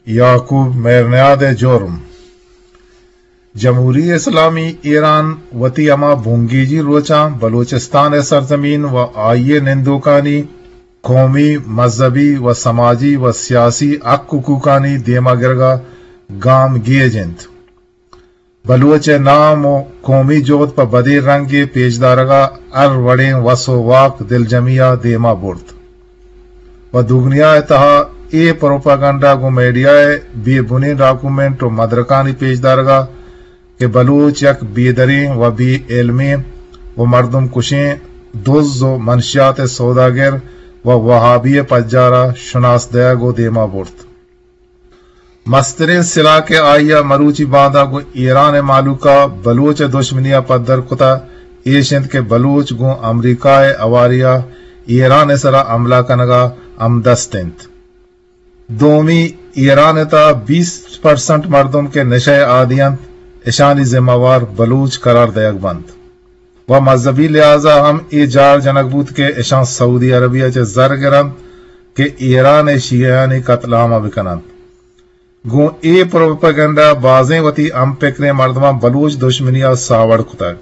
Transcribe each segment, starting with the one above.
یعقوب مہرنیاد ءِ جرم۔ جمہوری اسلامی ایران وتی ہما بنگیجی روچاں بلوچستان ءِ سرزمین و آئی ءِ نندوکانی قومی، مذہبی و سماجی و سیاسی حق حقوقانی دیما گرگا گام گیج انت۔ بلوچ ءِ نام و قومی جہد پہ بدیں رنگے پیش دارگا ہر وڑیں وس و واک دلجمی ءَ دیما برت و دگنیا ءِ تہا اے پروپیگنڈا گوں میڈیا ءِ بے بنیں ڈاکومنٹ و مدرکانی پیش دارگا کہ بلوچ یک بے دریں و بے علمیں و مردم کشیں دز و منشیات ءِ سوداگر و وہابی ءِ پجارا شناس دئیگ و دیما برت۔ مستریں سلاہ کہ آئی ءَ مروچی باندا گوں ایران ءِ مہلوک ءَ بلوچ ءِ دشمنی ءَ پدر کتہ، ایش انت کہ بلوچ گوں امریکہ ءِ ہواری ءَ ایران ءِ سرا حملہ کنگ ءَ ہمدست انت۔ دومی، ایران ءِ تہا بیست پرسنٹ مردم کہ نشہ ءِ عادی انت، اشانی ذمہ وار بلوچ قرار دئیگ بنت۔ و مذہبی لحاظا ہم اے جار جنگ بوت کہ اشاں سعودی عربیہ چہ زر گرنت کہ ایران ءِ شیعیانی قتل عام ءَ بکننت۔ گوں اے پروپیگنڈا بازیں وتی ہم پکریں مردماں بلوچ دشمنی ءَ ساوڑ کتگ۔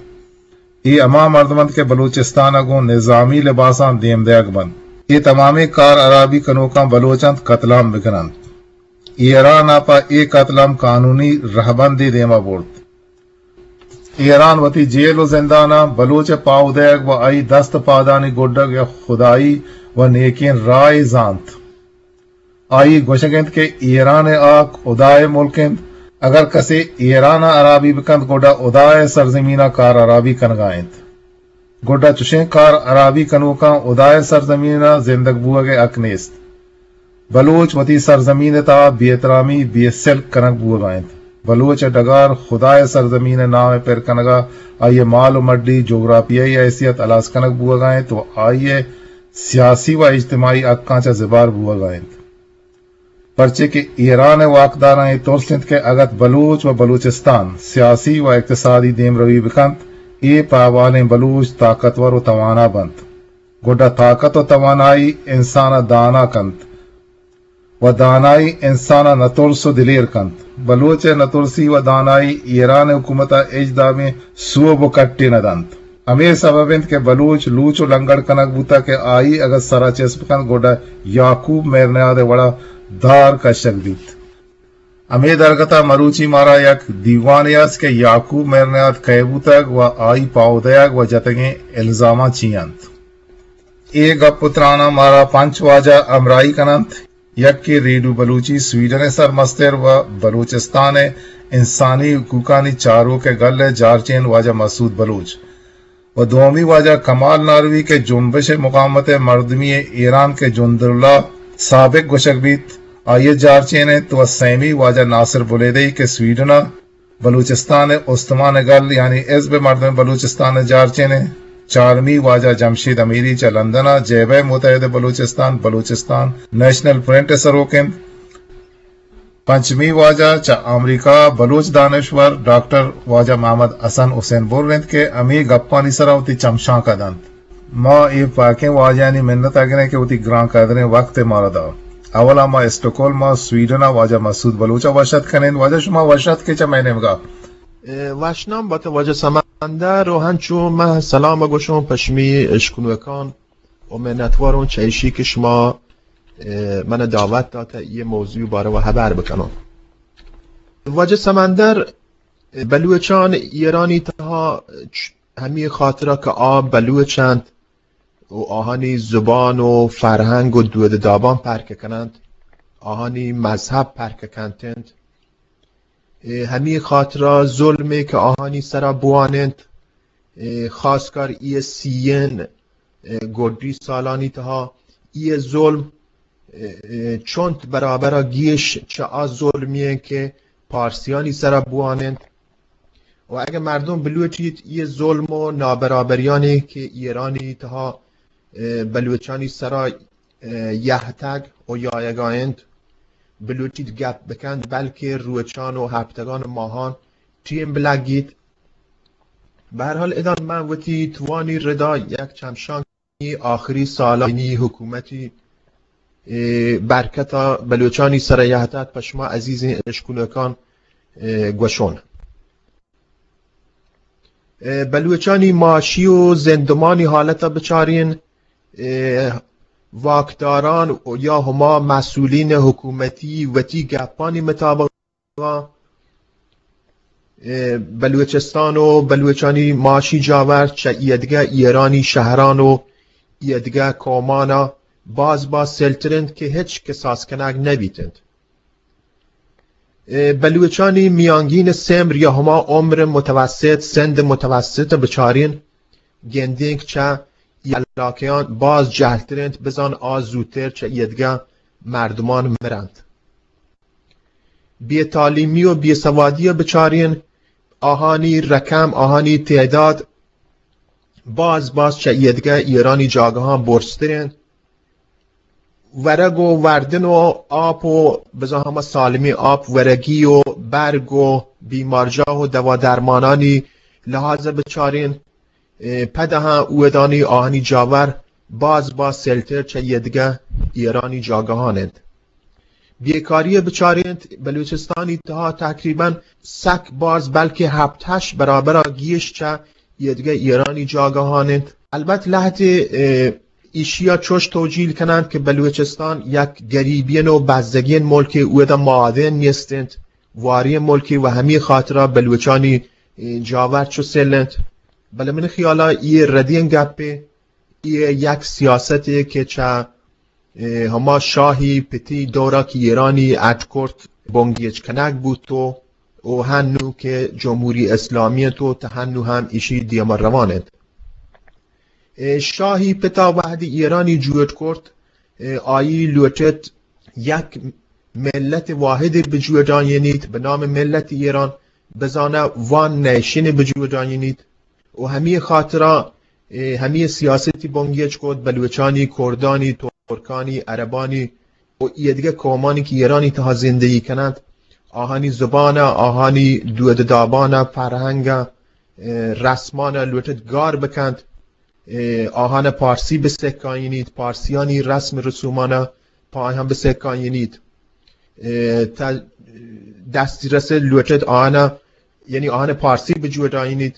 اے ہما مردم انت کہ بلوچستان ءَ گوں نظامی لباساں دیم دئیگ بنت۔ اے تمامیں کار ہرابی کنوکاں بلوچ انت، قتل عام بکننت۔ ایران ءَ پہ اے قتل عام قانونی رہبندے دیما برت۔ ایران وتی جیل و زنداناں بلوچ ءِ پاہو دئیگ و آئی دست پادانی گڈگ یک خدائی و نیکیں راہے زانت۔ آئی گوشگ انت کہ ایران ءِ ہاک ہدا ءِ ملک انت، اگر کسے ایران ءَ ہرابی بکنت گڈا ہدا ءِ سرزمین ءَ کار ہرابی کنگا انت۔ گڈا چشیں کار ہرابی کنوکاں ہدا ءِ سرزمین ءَ زندگ بوگ ءِ حق نیست۔ بلوچ وتی سرزمین ءِ تہا بے احترامی، بے سلک کنگ بوگا انت۔ بلوچ ءِ ڈگار خدا ءِ سرزمین ءِ نام ءَ پر کنگا، آئی ءِ مال و مڈی، جغرافیائی حیثیت ہلاس کنگ بوگا انت و آئی ءِ سیاسی و اجتماعی حقاں چہ زبار بوگا انت۔ پرچے کہ ایران ءِ واکداراں اے ترس انت کہ اگت بلوچ و بلوچستان سیاسی و اقتصادی دیمروی بکنت، اے پہ احوالیں بلوچ طاقتور و توانا بنت۔ گڈا طاقت و توانائی انسان ءَ دانا کنت و دانائی انسان ءَ نترس و دلیر کنت۔ بلوچ ءِ نترسی و دانائی ایران ءِ حکومت ءَ ہچ دابیں سوب و کٹے نہ دنت۔ ہمے سبب انت کہ بلوچ لوچ و لنگڑ کنگ بوتگ کہ آئی اگاں سرا چست بکنت گڈا یعقوب مہرنیاد ءِ وڑا دار کشگ بیت۔ ہمے درگت ءَ مروچی مارا یک دیوانے است کہ یعقوب مہرنیاد کئے بوتگ و آئی پاہو دئیگ و جتگیں الزاماں چی انت۔ اے گپ و تراناں مارا پنچ واجہ ہمراہی کننت۔ یکے ریڈیو بلوچی سویڈن ءِ سرمستر و بلوچستان ءِ انسانی حقوقانی چاروک ءِ گل ءِ جارچین واجہ مسعود بلوچ و دومی واجہ کمال ناروی کہ جنبش مقاومت مردمی ایران کہ جنداللہ سابق گوشگ بیت، آئی ءِ جارچین انت و سیمی واجہ ناصر بلیدئی کہ سویڈن ءَ بلوچستان ءِ استمان گل یعنی حزب مردم بلوچستان ءِ جارچین انت۔ چارمی واجہ جمشید امیری چہ لندن ءَ جبہہ متحد بلوچستان، بلوچستان نیشنل فرنٹ ءِ سروک انت۔ پنچمی واجہ چہ امریکہ ءَ بلوچ دانشور ڈاکٹر واجہ محمد حسن حسین بر انت کہ ہمے گپانی سرا وتی چمشانک ءَ دنت۔ ما اے پاکیں واجہانی منت ءَ گریں کہ وتی گران قدریں وقت ءَ مارا دات۔ اولا ما اسٹکہولم ءَ سویڈن ءَ واجہ مسعود بلوچ ءَ وش اتک کنیں۔ واجہ شما وش اتک کہ چہ مئے نیمگا۔ اے، وشنام بات واجہ سمندر و ہنچو من سلام گوشوں پشمی اشکنوکان و منتواروں چہ ایشی کہ شما، اے، من دعوت داتا یہ موضوع بارے و حبر بکنوں۔ واجہ سمندر، بلوچان ایرانی تہا چ-، ہمی خاطرہ کہ آ بلوچ انت و آہانی زبان و فرہنگ و دود و دابان پرک کننت، آہانی مذہب پرک کنت انت۔ اے ہمی خاطرہ ظلمے کہ آہانی سرا بوان انت، اے خاص کر ای سیئن، اے گڈی سالانی تہا ای ظلم، اے، اے چنت برابرا گیش چہ آ ظلمی انت کہ پارسیانی سرا بوان انت۔ و اگہ مردم بلوٹیت، یہ ظلم و نابرابریانی کہ ایرانی تہا، اے، بلوچانی سرا، اے، یہتگ و یایگا انت، بلوٹیت گپ بکنت، بلکہ روچان و ہپتگان و ماہان ٹیم بلگیت۔ بہرحال، ادا من وتی توانی ردا یک چمشان آخری سالانی حکومتی اے، برکت ءَ بلوچانی سر ءَ یات ات، پہ شما عزیزیں اشکنوکان، اے، گوشون۔ اے، بلوچانی معاشی و زندمانی حالت ءَ بچارین، اے، واکداران یا ہما مسئولین حکومتی وتی گپانی مطابق اے، بلوچستان و بلوچانی معاشی جاور چہ ایدگہ ایرانی شہران و ایدگہ قومانا باز باز سلتر انت کہ ہچ کساس کنگ نہ بیت انت۔ اے، بلوچانی میانگین سمر یا ہما عمر متوسط، سند متوسط بچارین، گندینک چہ ای علاقیان باز جہلتر انت، بزان آ زودتر چہ ایدگہ مردمان مرنت۔ بے تعلیمی و بے سوادی ءَ بچارین، آہانی رقم، آہانی تعداد باز باز چہ ایدگہ ایرانی جاگہاں برزتر انت۔ ورگ و وردن و آپ و بزاں ہما سالمیں آپ، ورگی و برگ و بیمارجاہ و دوا درمانانی لحاظ ءَ بچارین، اے، پد ہم اودانی آہانی جاور باز باز سلتر چہ ایدگہ ایرانی جاگہان انت۔ بیکاری ءَ بچارینت، بلوچستانی تہا تقریباً سک باز، بلکہ ہپت ہشت برابر ءَ گیش چہ ایدگہ ایرانی جاگہان انت۔ البت لہتے، اے، ایشی ءَ چوش توجیل کننت کہ بلوچستان یک گریبین و بزگین ملکے، اودا معادن نیست انت، وارین ملکے و ہمے خاطرا بلوچانی، اے، جاور چو سل انت۔ بلے من خیالا اے ردین گپے، اے یک سیاستے کہ چہ، اے، ہما شاہی پتی دورا کہ ایرانی اڈ کرت بنگیج کنگ بوت و، و ہنو کہ جمہوری اسلامی انت و تا ہنو ہم ایشی دیما روان انت۔ اے، شاہی پتا وہدی ایرانی جوڑ کرت، اے، آئی لوٹت یک ملت واحد بجوڑائینیت بہ نام ملت ایران، بزانہ وان نیشن بجوڑائینیت و ہمے خاطرا، اے، ہمے سیاستی بنگیج کت، بلوچانی، کردانی، ترکانی، عربانی و ایدگہ قومانی کہ ایرانی تہا زندگی کننت، آہانی زبانا، آہانی دود دابانا، فرہنگا، اے، رسمانا لوٹت گار بکنت۔ اے، آہانا پارسی بسکائینیت، پارسیانی رسم رسومانا پہ آہاں بسکائینیت۔ اے، تا دسترس لوٹت آہانا، یعنی آہانا پارسی بجوڑائینیت،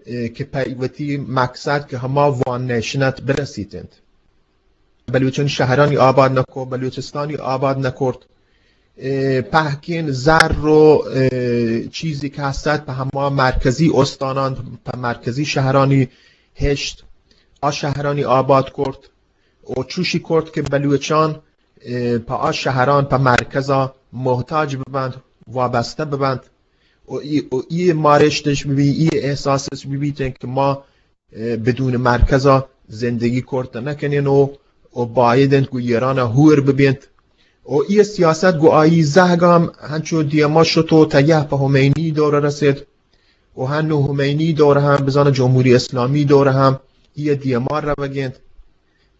اے، کہ پہ وتی مقصد کہ ہما وان نیشنت برسیت انت۔ بلوچانی شہرانی آباد نکو، بلوچستانی آباد نکرت۔ اے، پہکین زر و، اے، چیزی کہ ہستت پہ ہما مرکزی استانان، پہ مرکزی شہرانی ہشت، آ شہرانی آباد کرت و چوشی کرت کہ بلوچان، اے، پہ آ شہران، پہ مرکزا محتاج ببنت، وابستہ ببنت و ای، و ای مارشتش ببی، ای احساسش ببیت کہ ما اے، بدون مرکزا زندگی کرت نکنین و، و باید انت گو ایرانا ہور ببینت۔ و ای سیاست گو آئی زہگام ہنچو دیما شت و تیہ پہ ہمینی دور رسید۔ و ہنو ہمینی دور ہم بزانہ جمہوری اسلامی دور ہم ای دیما روگینت۔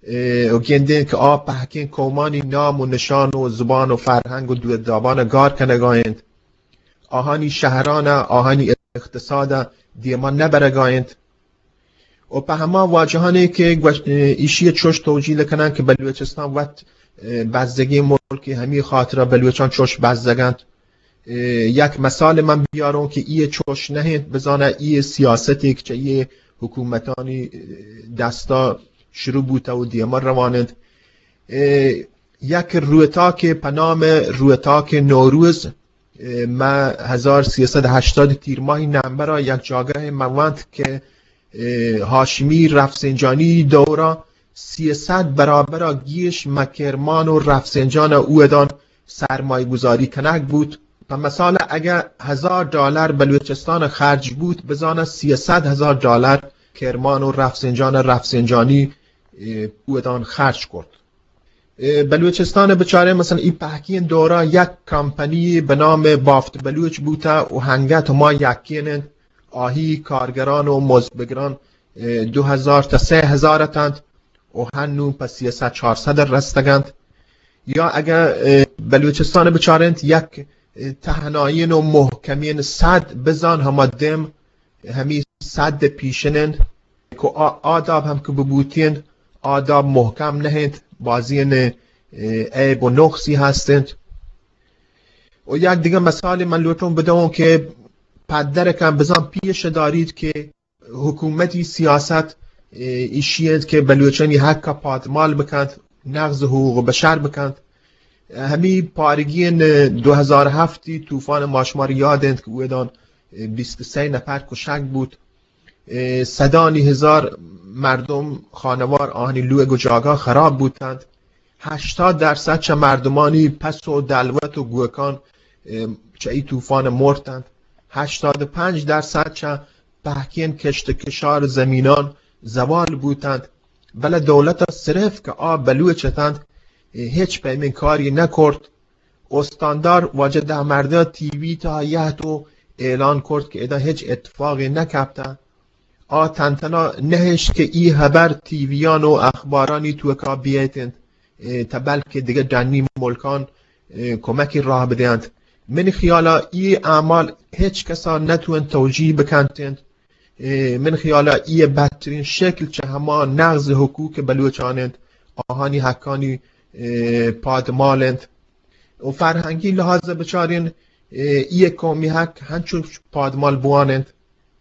اے، و گندین کہ آ پہکین قومانی نام و نشان و زبان و فرہنگ و دود دابانا گار کنگا انت۔ آہانی شہرانا، آہانی اقتصادا دیما نبرگا انت۔ و پہ ہما واجہانے کہ گوش-، ایشی چوش توجیل کنن کہ بلوچستان وت، اے، بزگیں ملکے، ہمی خاطرا بلوچان چوش بزگنت۔ اے، یک مثال من بیاروں کہ ای چوش نہ انت، بزانہ ای سیاستے کہ چہ ای حکومتانی، اے، دستا شروع بوتہ و دیما روان انت۔ اے، یک روتاکے پہ نام روتاک نوروز، اے، مہ ہزار سیصد ہشتاد تیر ماہی نمبرا یک جاگہے مہ وانت کہ، اے، ہاشمی رفسنجانی دورا سیصد برابرا گیش مہ کرمان و رفسنجانا اودان سرمایہ گذاری کنگ بوت۔ پہ مثال اگہ ہزار ڈالر بلوچستان خرج بوت، بزانہ سیصد ہزار ڈالر کرمان و رفسنجان رفسنجانی، اے، اودان خرج کرت۔ اے، بلوچستان بچارے، مثلاً ای پہکین دورا یک کمپنی بہ نام بافت بلوچ بوتہ و ہنگت ہما یکین انت، آہی کارگران و مزدبگران، اے، دو ہزار تا سئے ہزار اتنت و ہنو پہ سیصد چارصد رستگنت۔ یا اگہ، اے، بلوچستان بچارنت یک، اے، تہنائین و محکمین سد بزان ہما دم ہمی سد پیشن انت کہ آ-، آ داب ہم کہ ببوتین، آ داب محکم نہ انت، بازین، اے، اه، عیب و نقصی هستند. و یک دیگه مثال من لوٹون بدون که پدرکان بزن پیش دارید که حکومتی سیاست، اه، ایشی انت که بلوچانی حق پادمال بکنت، نقض حقوق بشر بکنت. همی پارگین دو هزار هفتی طوفان ما شمار یاد انت که اویدان بیست و سه نفر کشک بود. اه، صدانی هزار مردم خانوار آهنی لوگ و جاگا خراب بوتند. هشتاد درصد چه مردمانی پس و دلوت و گوکان، اه، چه ای طوفان مرتند. هشتاد و پنج درصد چه پهکین کشت و کشار زمینان زوال بوتند. بله دولت صرف که آ بلوچ اتند، اه، هیچ پیمین کاری نکرد. استاندار واجه دهمرده تیوی تا یهت و اعلان کرد که ادا هیچ اتفاقی نکپته. آ تنتنا نهشت که ای هبر تیویان و اخبارانی توکا بیایتند، اه، تا بلکه دیگه ڈنی ملکان، اه، کمکی راه بدهند. من خیالا ای اعمال هیچ کسا نتوان توجیه بکنتند. اه، من خیالا ای بدترین شکل چه هما نقض حقوق بلوچان انت، آهانی حقانی، اه، پادمال انت. و فرهنگی لحاظ بچارین، اه، ای قومی حق هنچو پادمال بوان انت.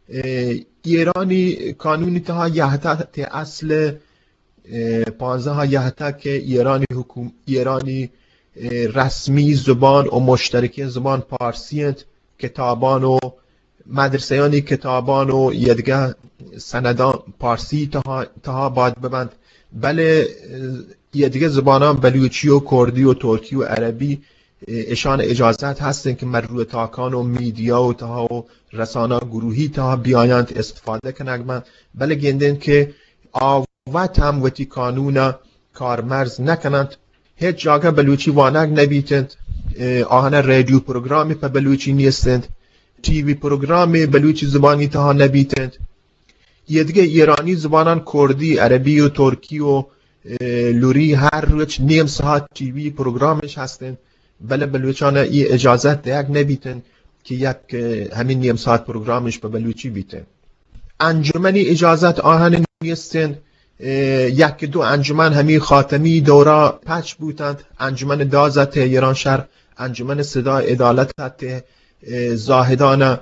اه، ایرانی قانونی تها یهتا ته اصل، اه، پانزده یهتا که ایرانی حکوم-، ایرانی، اه، رسمی زبان و مشترکین زبان پارسی انت. کتابان و مدرسه‌یانی کتابان و یه دیگه سندان پارسی تها، تها باد ببند. بله، اه، یه دیگه زبانان بلوچی و کردی و ترکی و عربی، اه، اشان اجازت هستن که مر روی تاکان و میدیا و تها و رسانه گروهی تها بیایند استفاده کنگ بند. بله گندن که آ وت هم وتی قانون کارمرز نکننت. هیچ جاگه بلوچی وانگ نبیتنت. اه، آهنه رادیو پروگرامی په بلوچی نیستنت. تی وی پروگرامی بلوچی زبانی تها نبیتنت. یه دیگه ایرانی زبانان کردی، عربی و ترکی و، اه، لوری هر روچ نیم ساعت تی وی پروگرامش هستنت. بله بلوچان ای اجازت دیگ نبیتنت که یک، اه، همین نیم ساعت پروگرامش په بلوچی بیتنت. انجمنی اجازت آهن نیستن. اه، یک دو انجمن همی خاتمی دورا پچ بوتند. انجمن داز ته ایران شهر، انجمن صدای عدالت ته، اه، زاهدان، اه،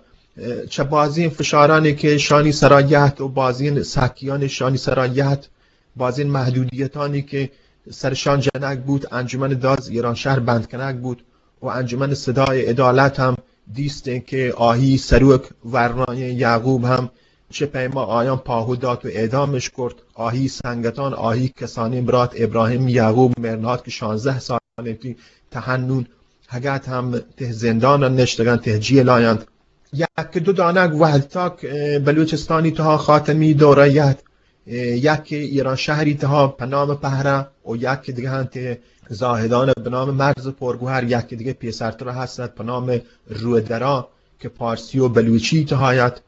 چه بازین فشارانی که شانی سرا یهت و بازین سکیان شانی سرا یهت، بازین محدودیتانی که سرشان جنگ بود، انجمن داز ایران شهر بند کنگ بود. و انجمن صدای عدالت هم دیستن که آهی سروک ورنای یعقوب هم چه پیما آیان پاهو دات و اعدامش کرد. آهی سنگتان، آهی کسانی برات ابراهیم یعقوب مرنات که شانزده سال انتی تهنون هگت هم ته زندان نشتگن، ته جیل آیند. یک دو دانگ وهد تاک، اه، بلوچستانی تها خاتمی دوره یهد، اه، یک ایران شهری تها په نام پهره و یک دیگه انت زاهدان به نام مرز پرگوهر، یک دیگه پیسرتر هستند په نام رودرا که پارسی و بلوچی تهایت.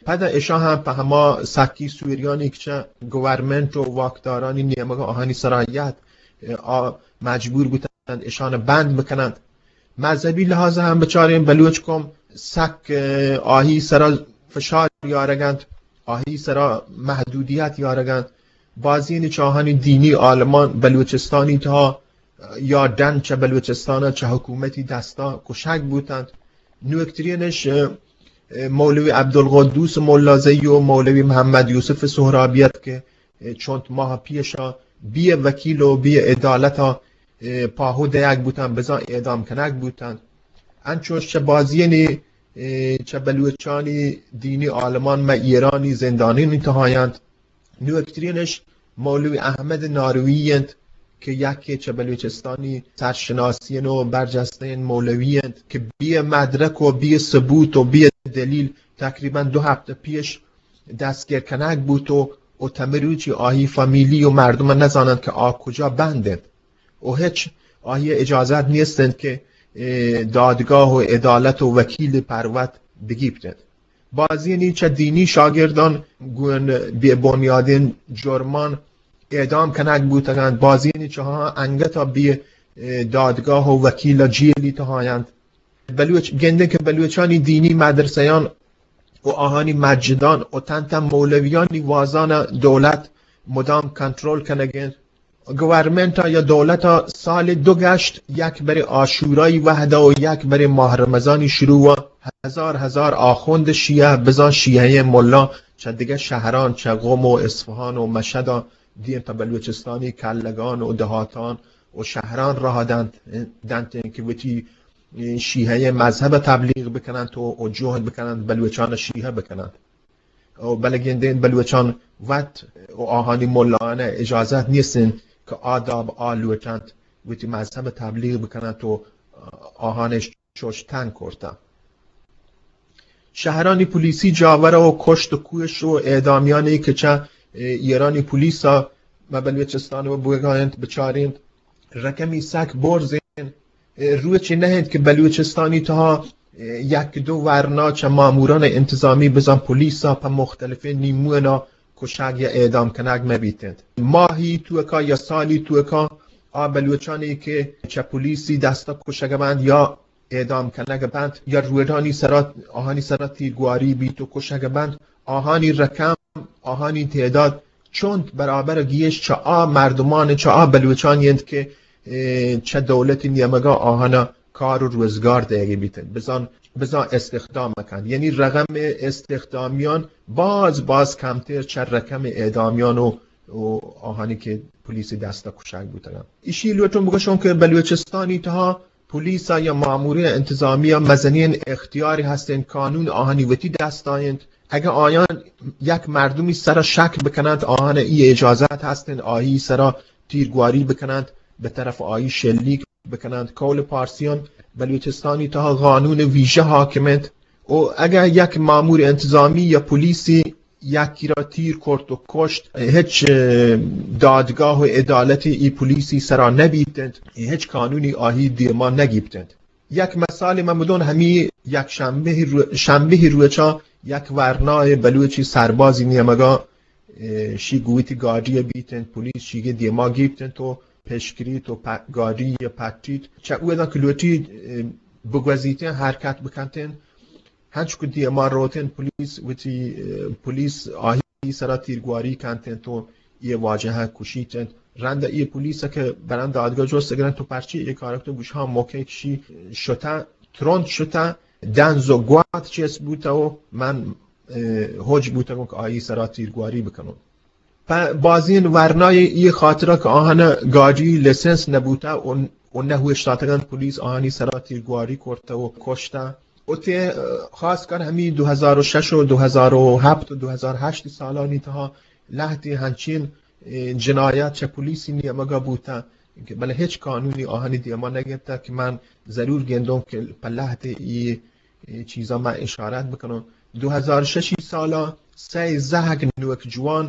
پدا اشا هم په هما سکی سوریانی که چه گورنمنت و واکدارانی نیمگ آهانی سرایت، اه، آ مجبور بوتند اشان بند بکنند. مذهبی لحاظ هم بچارین بلوچ قوم سک، اه، آهی سرا فشار یارگند، آهی سرا محدودیت یارگند. بازین چاهانی دینی عالمان بلوچستانی تها یا ڈن چه بلوچستان چه حکومتی دستا کشگ بوتند. نوکترینش، اه، اه، مولوی عبدالقدوس ملازی و مولوی محمد یوسف سهرابیت که چند ماه پیشا بی وکیل و بی عدالتا، اه، پاهو دیگ بوتن، بزان اعدام کنگ بوتن. انچوش چه بازینی، اه، چه بلوچانی دینی عالمان مه ایرانی زندانانی تهایند. نوکترینش مولوی احمد ناروی انت که یکی چه بلوچستانی سرشناسین و برجستین مولوی انت که بی مدرک و بی ثبوت و بی دلیل تقریباً دو هفته پیش دستگیر کنگ بوت و، و تمروچی آهی فامیلی و مردم نزانند که آ کجا بند انت و هیچ آهی اجازت نیستند که، اه، دادگاه و عدالت و وکیل پروت بگیپتند. بازینی چه دینی شاگردان گون بی بنیادین جرمان اعدام کنگ بوتگند، بازینی چها انگتا بی، اه، دادگاه و وکیل جیلی تهایند. بلوچ، گندے کہ بلوچانی دینی مدرسیان و آہانی مسجدان و تن تن مولویانی وازان دولت مدام کنترل کنگ انت. گورنمنت ءَ یا دولت ءَ سال دو گشت، یک برے عاشورای وہد ءَ و یک برے ماہ رمضانی شروع ءَ ہزار ہزار آخوند شیعہ، بزاں شیعہ ملا، چہ دگہ شہران، چہ قم و اصفہان و مشہد ءَ دیم پہ بلوچستانی کلگان و دہاتان و شہران راہ دنت، دنت کہ وتی شیعہ مذہب تبلیغ بکننت و، و جہد بکننت بلوچان شیعہ بکننت. و بلے گندین بلوچان وت و آہانی ملایان اجازت نیستن کہ آ داب آ لوٹنت وتی مذہب تبلیغ بکننت و آہان چوش تنگ کرتہ. شہرانی پولیسی جاور و کشت و کوش و اعدامیانی کہ چہ ایرانی پولیس ءَ مہ بلوچستان و بوگاینت بچارینت، رقمی سک برزین. روچے نہ انت کہ بلوچستانی تہا یک دو ورنا چہ ماموران انتظامی بزاں پولیس ءَ پہ مختلفیں نیمونا کشگ یا اعدام کنگ مہ بیت انت. ماہی توکا یا سالی توکا آ بلوچانی کہ چہ پولیسی دستا کشگ بنت یا اعدام کنگ بنت یا روڈانی سرا، آہانی سرا تیرگواری بیت و کشگ بنت، آہانی رقم، آہانی تعداد چنت برابر گیش چہ آ مردمان، چہ آ بلوچانی انت کہ، اے، چہ دولتی نیمگا آہانا کار و روزگار دئیگی بیت انت. بزان، بزان استخدام کنت. یعنی رقم استخدامیان باز، باز کمتر چہ رقم اعدامیان و، و آہانی کہ پولیسی دستا کشگ بوتگن. ایشی لوٹوں بگوشوں کہ بلوچستانی تہا پولیس ءَ یا مامورین انتظامی ءَ مزنین اختیاری ہستین، قانون آہانی وتی دستا انت. اگہ آیان یک مردمی سرا شک بکننت، آہان ای اجازت ہستین آہی سرا تیرگواری بکننت، بہ طرف آہی شلیک بکننت. قول پارسیان بلوچستانی تہا قانون ویژہ حاکم انت. و اگہ یک مامور انتظامی یا پولیسی یکی را تیر کرت و کشت، ہچ، اه، دادگاہ و عدالتی ای پولیسی سرا نبیت انت، ہچ قانونی آہی دیما نگیپت انت. یک مثال من بدون، ہمی یک شنبہ رو-، شنبہ روچا یک ورنائے بلوچی سربازی نیمگا، اه، شی گویتی گاڑی بیت انت، پولیس شیگے دیما گیپت انت و پشکریت و پ-، گاڑی پٹیت. چہ اوداں کہ لوٹیت، اه، بگوزیتیں حرکت بکنتیں، ہنچو کہ دیما روتیں پولیس وتی، اه، پولیس آہی سرا تیرگواری کنتیں تو یہ واجہ کشیتیں. رند یہ پولیس کہ برند دادگاہ جست گرن تو پرچی یہ کارک تو گوش ہاں موقع کشی شتا، ترند شتا، دنز و گوات چیز بوتا و من، اه، حج بوتا کہ آئی سرا تیرگواری بکنوں. پہ بازین ورنای ای خاطرہ کہ آہان گاڑی لیسنس نبوتا و، و نہ ہوشتاتگن پولیس آہانی سرا تیرگواری کرتا و کشتا. و تے، اه، خاص کر ہمی دو ہزار و شش و دو ہزار و ہفت و دو ہزار ہشت سالانی تہا لہتی ہنچین، اه، جنایات چہ پولیسی نیمگا بوتا کہ بلے ہچ قانونی آہانی دیما نگیپتا کہ من ضرور گندوں کہ پہ لہتے ای، ای چیزا من اشارت بکنوں. دو ہزار ششی سالا سئے زہگ نوک جوان،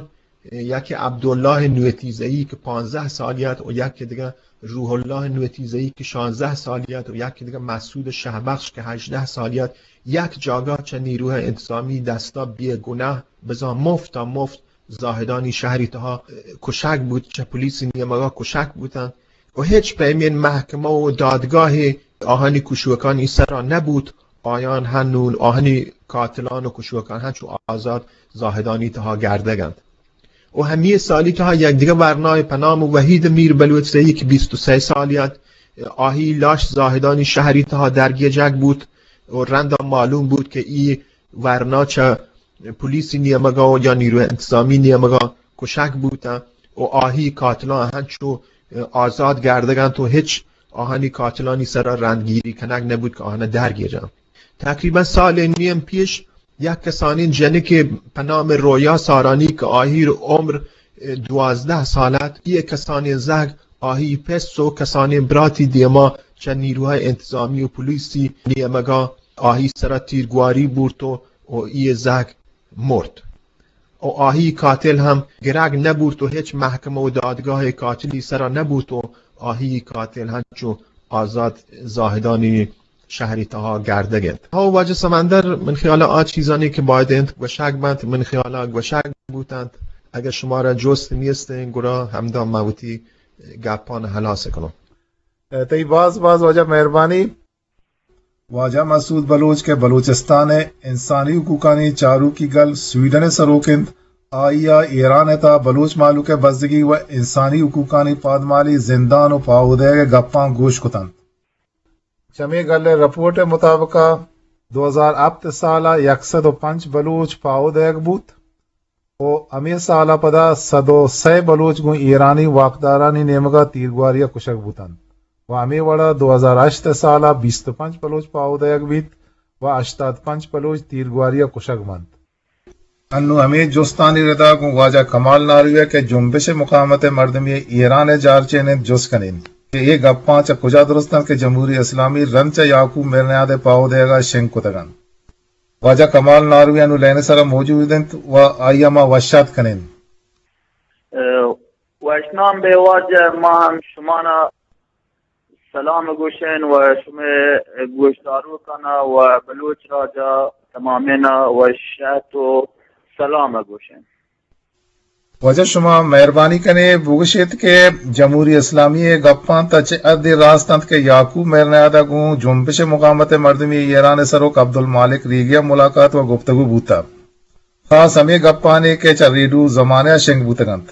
یکے عبداللہ نوتیزئی کہ پانزدہ سالی ات و یکے دگہ روح اللہ نوتیزئی کہ شانزدہ سالی ات و یکے دگہ مسعود شہبخش کہ ہژدہ سالی ات، یک جاگہ چہ نیروہ انتظامی دستا بے گناہ بزاں مفتا مفت زاہدانی شہری تہا کشگ بوت، چہ پولیسی نیمگا کشگ بوتن و ہچ پیمین محکمہ و دادگاہے آہانی کشوکانی سرا نبوت. آیان ہنون آہانی قاتلان و کشوکان ہنچو آزاد زاہدانی تہا گردگنت. و ہمی سالی تہا یک دگہ ورنائے پہ نام وحید میر بلوچ زئی کہ بیست و سئے سالی ات، آہی لاش زاہدانی شہری تہا درگیجگ بوت و رندا معلوم بوت کہ ای ورنا چہ پولیسی نیمگا و یا نیروی انتظامی نیمگا کشگ بوتن و آہی قاتلان ہنچو آزاد گردگنت و ہچ آہانی قاتلانی سرا رندگیری کنگ نبوت کہ آہانا درگیجن. تقریباً سال نیم پیش یک کسانیں جنکے پہ نام رویا سارانی کہ آہیر عمر دوازدہ سال ات، یہ کسانیں زہگ آہی پس و کسانیں براتی دیما چہ نیروہ انتظامی و پولیسی نیمگا آہی سرا تیرگواری بورت و، و یہ زہگ مرت. و آہی قاتل ہم گرگ نبورت و ہچ محکمہ و دادگاہ قاتلی سرا نبوت و آہی قاتل ہنچو آزاد زاہدانی شہری تہا گردگ انت. ہو واجہ سمندر، من خیال آ چیزانی کہ باید انت گوشگ بنت، من خیال گوشگ بوتنت. اگر شمارا جست نیست، گڑا ہمدا ما وتی گپان ہلاس کنوں. تئی باز باز واجہ مہربانی. واجہ مسعود بلوچ کہ بلوچستان ء انسانی حقوقانی چاروکی گل سویڈن ء سروک انت، آئی ءَ ایران ءِ تہا بلوچ مہلوک ءِ بزگی و انسانی حقوقانی پادمالی، زندان و پاہو دئیگ ءِ گپاں گوش کتنت۔ چمے گل ءِ رپورٹ ءِ مطابق ءَ دو ہزار ہپت سال ءَ یک سد و پنچ بلوچ پاہو دئیگ بوت و ہمے سال ءَ پدا سد و سئے بلوچ گوں ایرانی واکدارانی نیمگ ءَ تیرگواری ءَ کشگ بوتنت و ہمے وڑ ءَ دو ہزار ہشت سال ءَ بیست و پنچ بلوچ پاہو دئیگ بیت و ہشتاد پنچ بلوچ تیرگواری ءَ کشگ بنت۔ انوں ہمے جستانی ردا گوں واجہ کمال ناروی ءَ کہ جنبش مقاومت مردمی ایران ءِ جارچین انت، جست کنیں کہ اے گپاں چہ کجا درست انت کہ جمہوری اسلامی رند چہ یعقوب میرنیاد ءِ پاہو دئیگ ءَ شنگ کتگ انت۔ واجہ کمال ناروی انوں لائن ءِ سرا موجود انت و آئی ءَ ما وشات کنیں۔ ء، وشنام بے واجہ، ما ہم شمانا سلام گوشین و شمے گوشداروکانا و بلوچ راجا تمامینا و شات و سلام گوشین۔ واجہ شما مہربانی کنے بگوشیت کہ جمہوری اسلامی ءِ گپاں تا چہ حدی راست انت کہ یعقوب میرنیاد ءَ گوں جنبش مقاومت مردمی ایران ءِ سروک عبدالمالک ریگی ءَ ملاقات و گفتگو بوتگ؟ خاص ہمے گپانی کہ چہ ریڈیو زمانہ ءَ شنگ بوتگ انت۔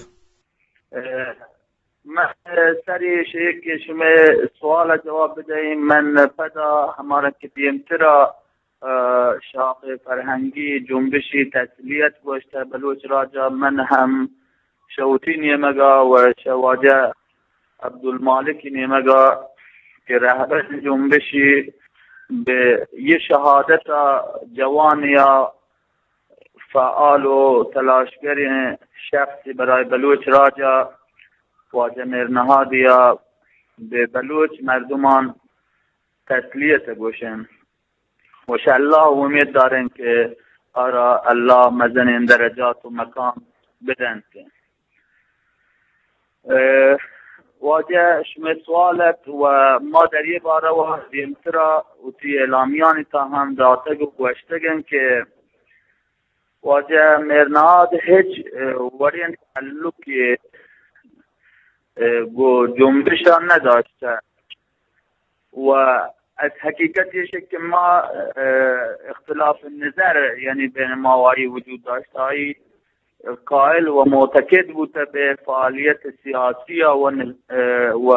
ء، من سری شے کہ شمے سوال ءَ جواب بدئیں، من پدا ہمارا کہ دیمترا، ء، شاخ فرہنگی جنبشی تسلیت گوشتہ بلوچ راجا، من ہم شہ وتی نیمگا و شہ واجہ عبدالمالکی نیمگا کہ رہبر جنبشی بہ یہ شہادت جوانیا فعال و تلاشگریں شخص برای بلوچ راجا واجہ میر نہادی ءَ بہ بلوچ مردمان تسلیت گوشن و شہ اللہ امید دارن کہ آرا اللہ مزنیں درجات و مقام بدنت۔ ء، واجہ شمئے سوال ات و ما در یہ بارہ و دیمترا وتی اعلامیانی تا ہم داتگ و گوشتگن کہ واجہ مہرنہاد ہچ، ء، وڑیں تعلقے، ء، گوں جنبش ءَ نہ داشتہ و از حقیقت ایش کہ ما، ء، اختلاف نظر یعنی بین ما و آئی وجود داشت۔ آئی قائل و معتقد بوتہ بہ فعالیت سیاسی ءَ و نظ-، ء، و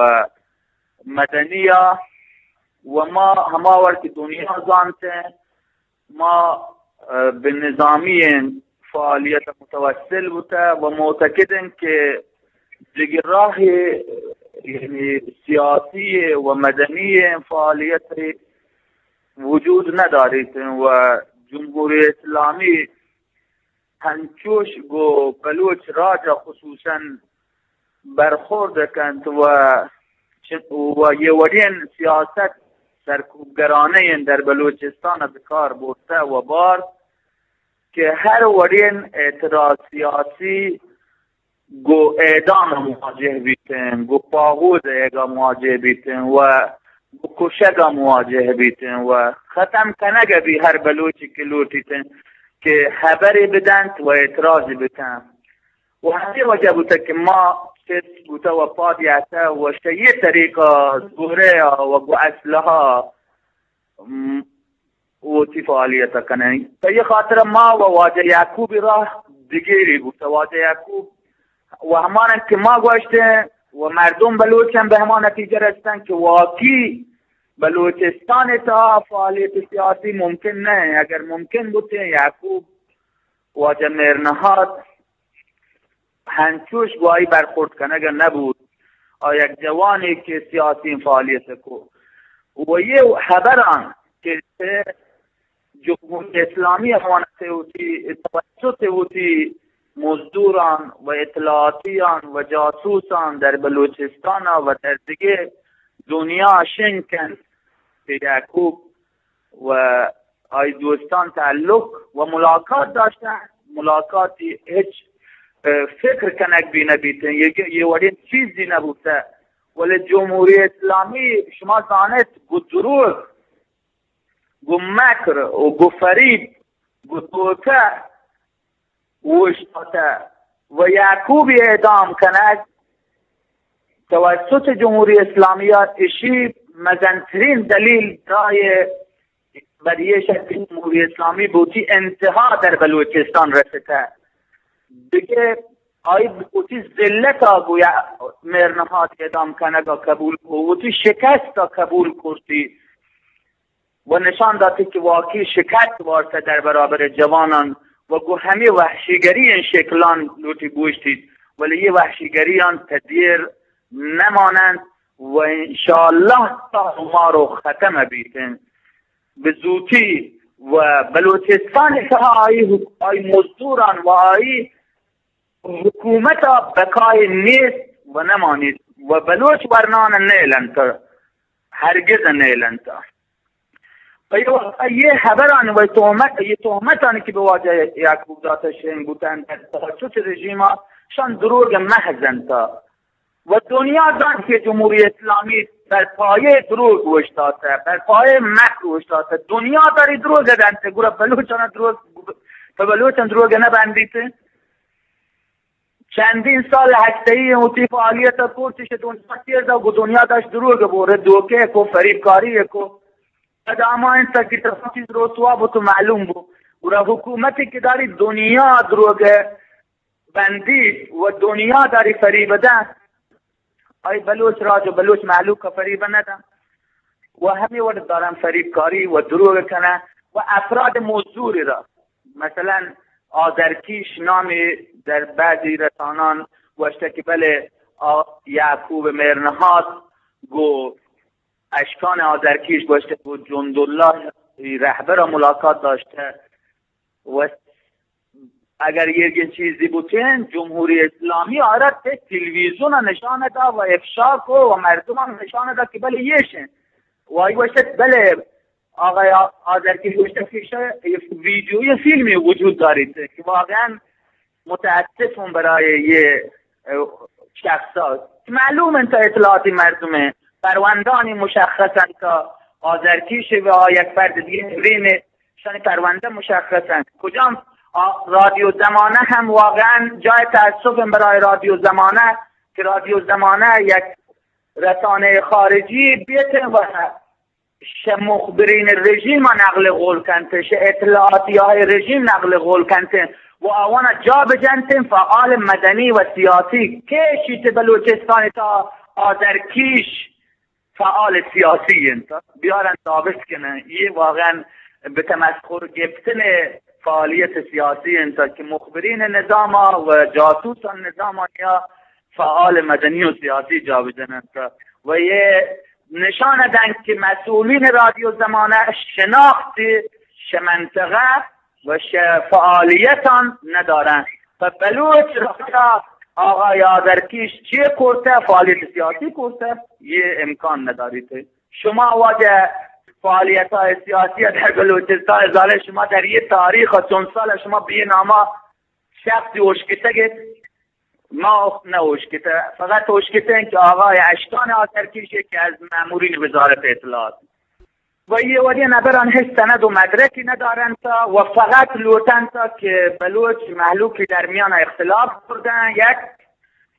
مدنی ءَ و ما ہما وڑ کہ دنیا زانتیں ما، ء، بہ نظامی فعالیت متوسل بوتہ و معتقد انت کہ دگہ راہ یعنی سیاسی و مدنی فعالیت وجود نداریت و جمہوری اسلامی ہنچوش گوں بلوچ راج ءَ خصوصاً برخورد کنت و چ-، و یہ وڑیں سیاست سرکوبگرانہ در بلوچستان ءَ بکار برتہ و بارت کہ ہر وڑیں اعتراض سیاسی گوں اعدام ءَ مواجہ بیتیں، گوں پاہو دئیگ ءَ مواجہ بیتیں و گوں کشگ ءَ مواجہ بیتیں و ختم کنگ ءَ بی ہر بلوچے کہ لوٹیتیں کہ ہبرے بدنت و اعتراضے بکنت۔ و ہمے وجہ بوتگ کہ ما چست بوتہ و پاد یاتہ و شہ یہ طریقہ زورہ ءَ و گوں اسلحہ ءَ، م، وتی فعالیت ءَ کنیں۔ پہ یہ خاطر ما و واجہ یعقوب راہ دگیری بوتہ۔ واجہ یعقوب و ہماناں کہ ما گوشتیں و مردم بلوچ ہم بہ ہما نتیجہ رستن کہ واقعی بلوچستان ءِ تہا فعالیت سیاسی ممکن نہ انت۔ اگر ممکن بوتیں یعقوب واجہ مہرنہاد ہنچوش گوں آئی برخورد کنگ ءَ نہ بوت۔ آ یک جوانے کہ سیاسی فعالیت کو و یہ ہبراں کہ جمہوری اسلامی امانت وتی توسط وتی مزدوراں و اطلاعاتیاں و جاسوساں در بلوچستان ءَ و در دگہ دنیا شنگ کنت کہ یعقوب و آئی دوستان تعلق و ملاقات داشتن، ملاقاتی ہچ، اه، فکر کنگ بی نہ بیتن، یہ، یہ وڑیں چیزی نہ بوتہ۔ ولی جمہوری اسلامی شما زانت گو دروغ، گو مکر و گو فریب، گو دھوکہ اوشتاتہ و یعقوبی اعدام کنگ توسط جمہوری اسلامی ءَ اشی مزنترین دلیل دائے بر یہ شک جمہوری اسلامی بوتی انتہا در بلوچستان رسیتہ۔ دگہ آئی وتی ذلت ءَ گویا مہر نہاد اعدام کنگ ءَ قبول کو، وتی شکست ءَ قبول کرتی و نشان داتی کہ واقعی شکست وارتہ در برابر جوانان و گوں ہمے وحشیگری شکلان لوٹی بوشتیت، ولی یہ وحشیگریان تدیر نمانند و انشاءاللہ تا مارو ختم بیتن بزوتی و بلوچستان تہا آئی حک-، آئی مزدوران و آئی حکومت بقای نیست و نمانیت و بلوچ ورنان نیلنت، ہرگز نیلنت۔ پہ یہ واسطہ یہ خبران و تہمت، یہ تہمتان کہ بہ واجہ یعقوب داتا شنگ بوتن در تہا چوش رژیما شان دروگ محض انت و دنیا دانت کہ جمہوری اسلامی بر پایہ دروگ اوشتاتہ، بر پایہ مکر اوشتاتہ۔ دنیا داری دروگ دنت، گڑا بلوچان دروگ، پہ بلوچان دروگ نہ بندیت۔ چندین سال ہستئی وتی فعالیت کرت، چہ دنیا تیر دا، گو دنیا داشت دروگ بورے، دوکے کو، فریبکاری کو۔ پدا ہما انت کہ تمام چیز رسوا بو تو معلوم بو۔ گڑا حکومتی کہ داری دنیا دروگ بندی و دنیا داری فریب دن، آئی بلوچ راج و بلوچ مہلوک فریب ندن و ہمے وڑ دارن فریبکاری و دروگ کنن و افراد مزدوری را، مثلاً آذرکیش نامی در بعضی رسانان گوشتہ کہ بلے آ-، یعقوب مہرنہاد گو اشکان آذرکیش گوشتہ گو جنداللہ رہبر ملاقات داشتہ و اگر یہ چیزی بوتین، جمہوری اسلامی آرت تلویزیون نشان دا و افشا کو و مردمان نشان دا کہ بلے یہ شن۔ و آئی گوشت بلے آقای آ-، آذرکیش گوشت کہ شاید یہ ویڈیو، یہ فیلمی وجود داریت کہ واقعاً متاسف ہوں برای یہ، اه، شخصا۔ معلوم انت اطلاعاتی مردم ہیں، پروندانی مشخص انت، آذرکیش و یک فرد دیگه برین شان پرونده مشخص انت۔ کجام آ-، رادیو زمانه هم واقعاً جای تأسف برای رادیو زمانه که رادیو زمانه یک رسانهٔ خارجی بیت و شہ مخبرین رژیم نقل قول کنت، شہ اطلاعاتی های رژیم نقل قول کنت و آوانا جا بجنت فعال مدنی و سیاسی۔ کیشی چہ بلوچستان تا آذرکیش فعال سیاسی انت، بیارن ثابت کنن۔ یہ واقعاً به تمسخر گپتن فعالیت سیاسی انت که مخبرین نظام و جاسوسان نظام یا فعال مدنی و سیاسی جا بجننت و یہ نشان دنت که مسئولین رادیو زمانه شناخت شہ منطقه و شہ فعالیتان ندارن۔ پہ بلوچ راجا آقای آذرکیش چی کرتہ، فعالیت سیاسی کرتہ، یہ امکان نداریت۔ شما واجہ فعالیت سیاسی در بلوچستان زانہ، شما در یہ تاریخ چند سال شما بے ناما شخصی اوشکتگ ات؟ ما نہ اوشکتہ، فقط اوشکتہ کہ آقای اشکان آذرکیش یکی از مأمورین وزارت اطلاعات و یہ وڑیں نبران ہچ سند و مدرکی ندارنت و فقط لوٹنت کہ بلوچ مہلوکی درمیان اختلاف کردن۔ یک،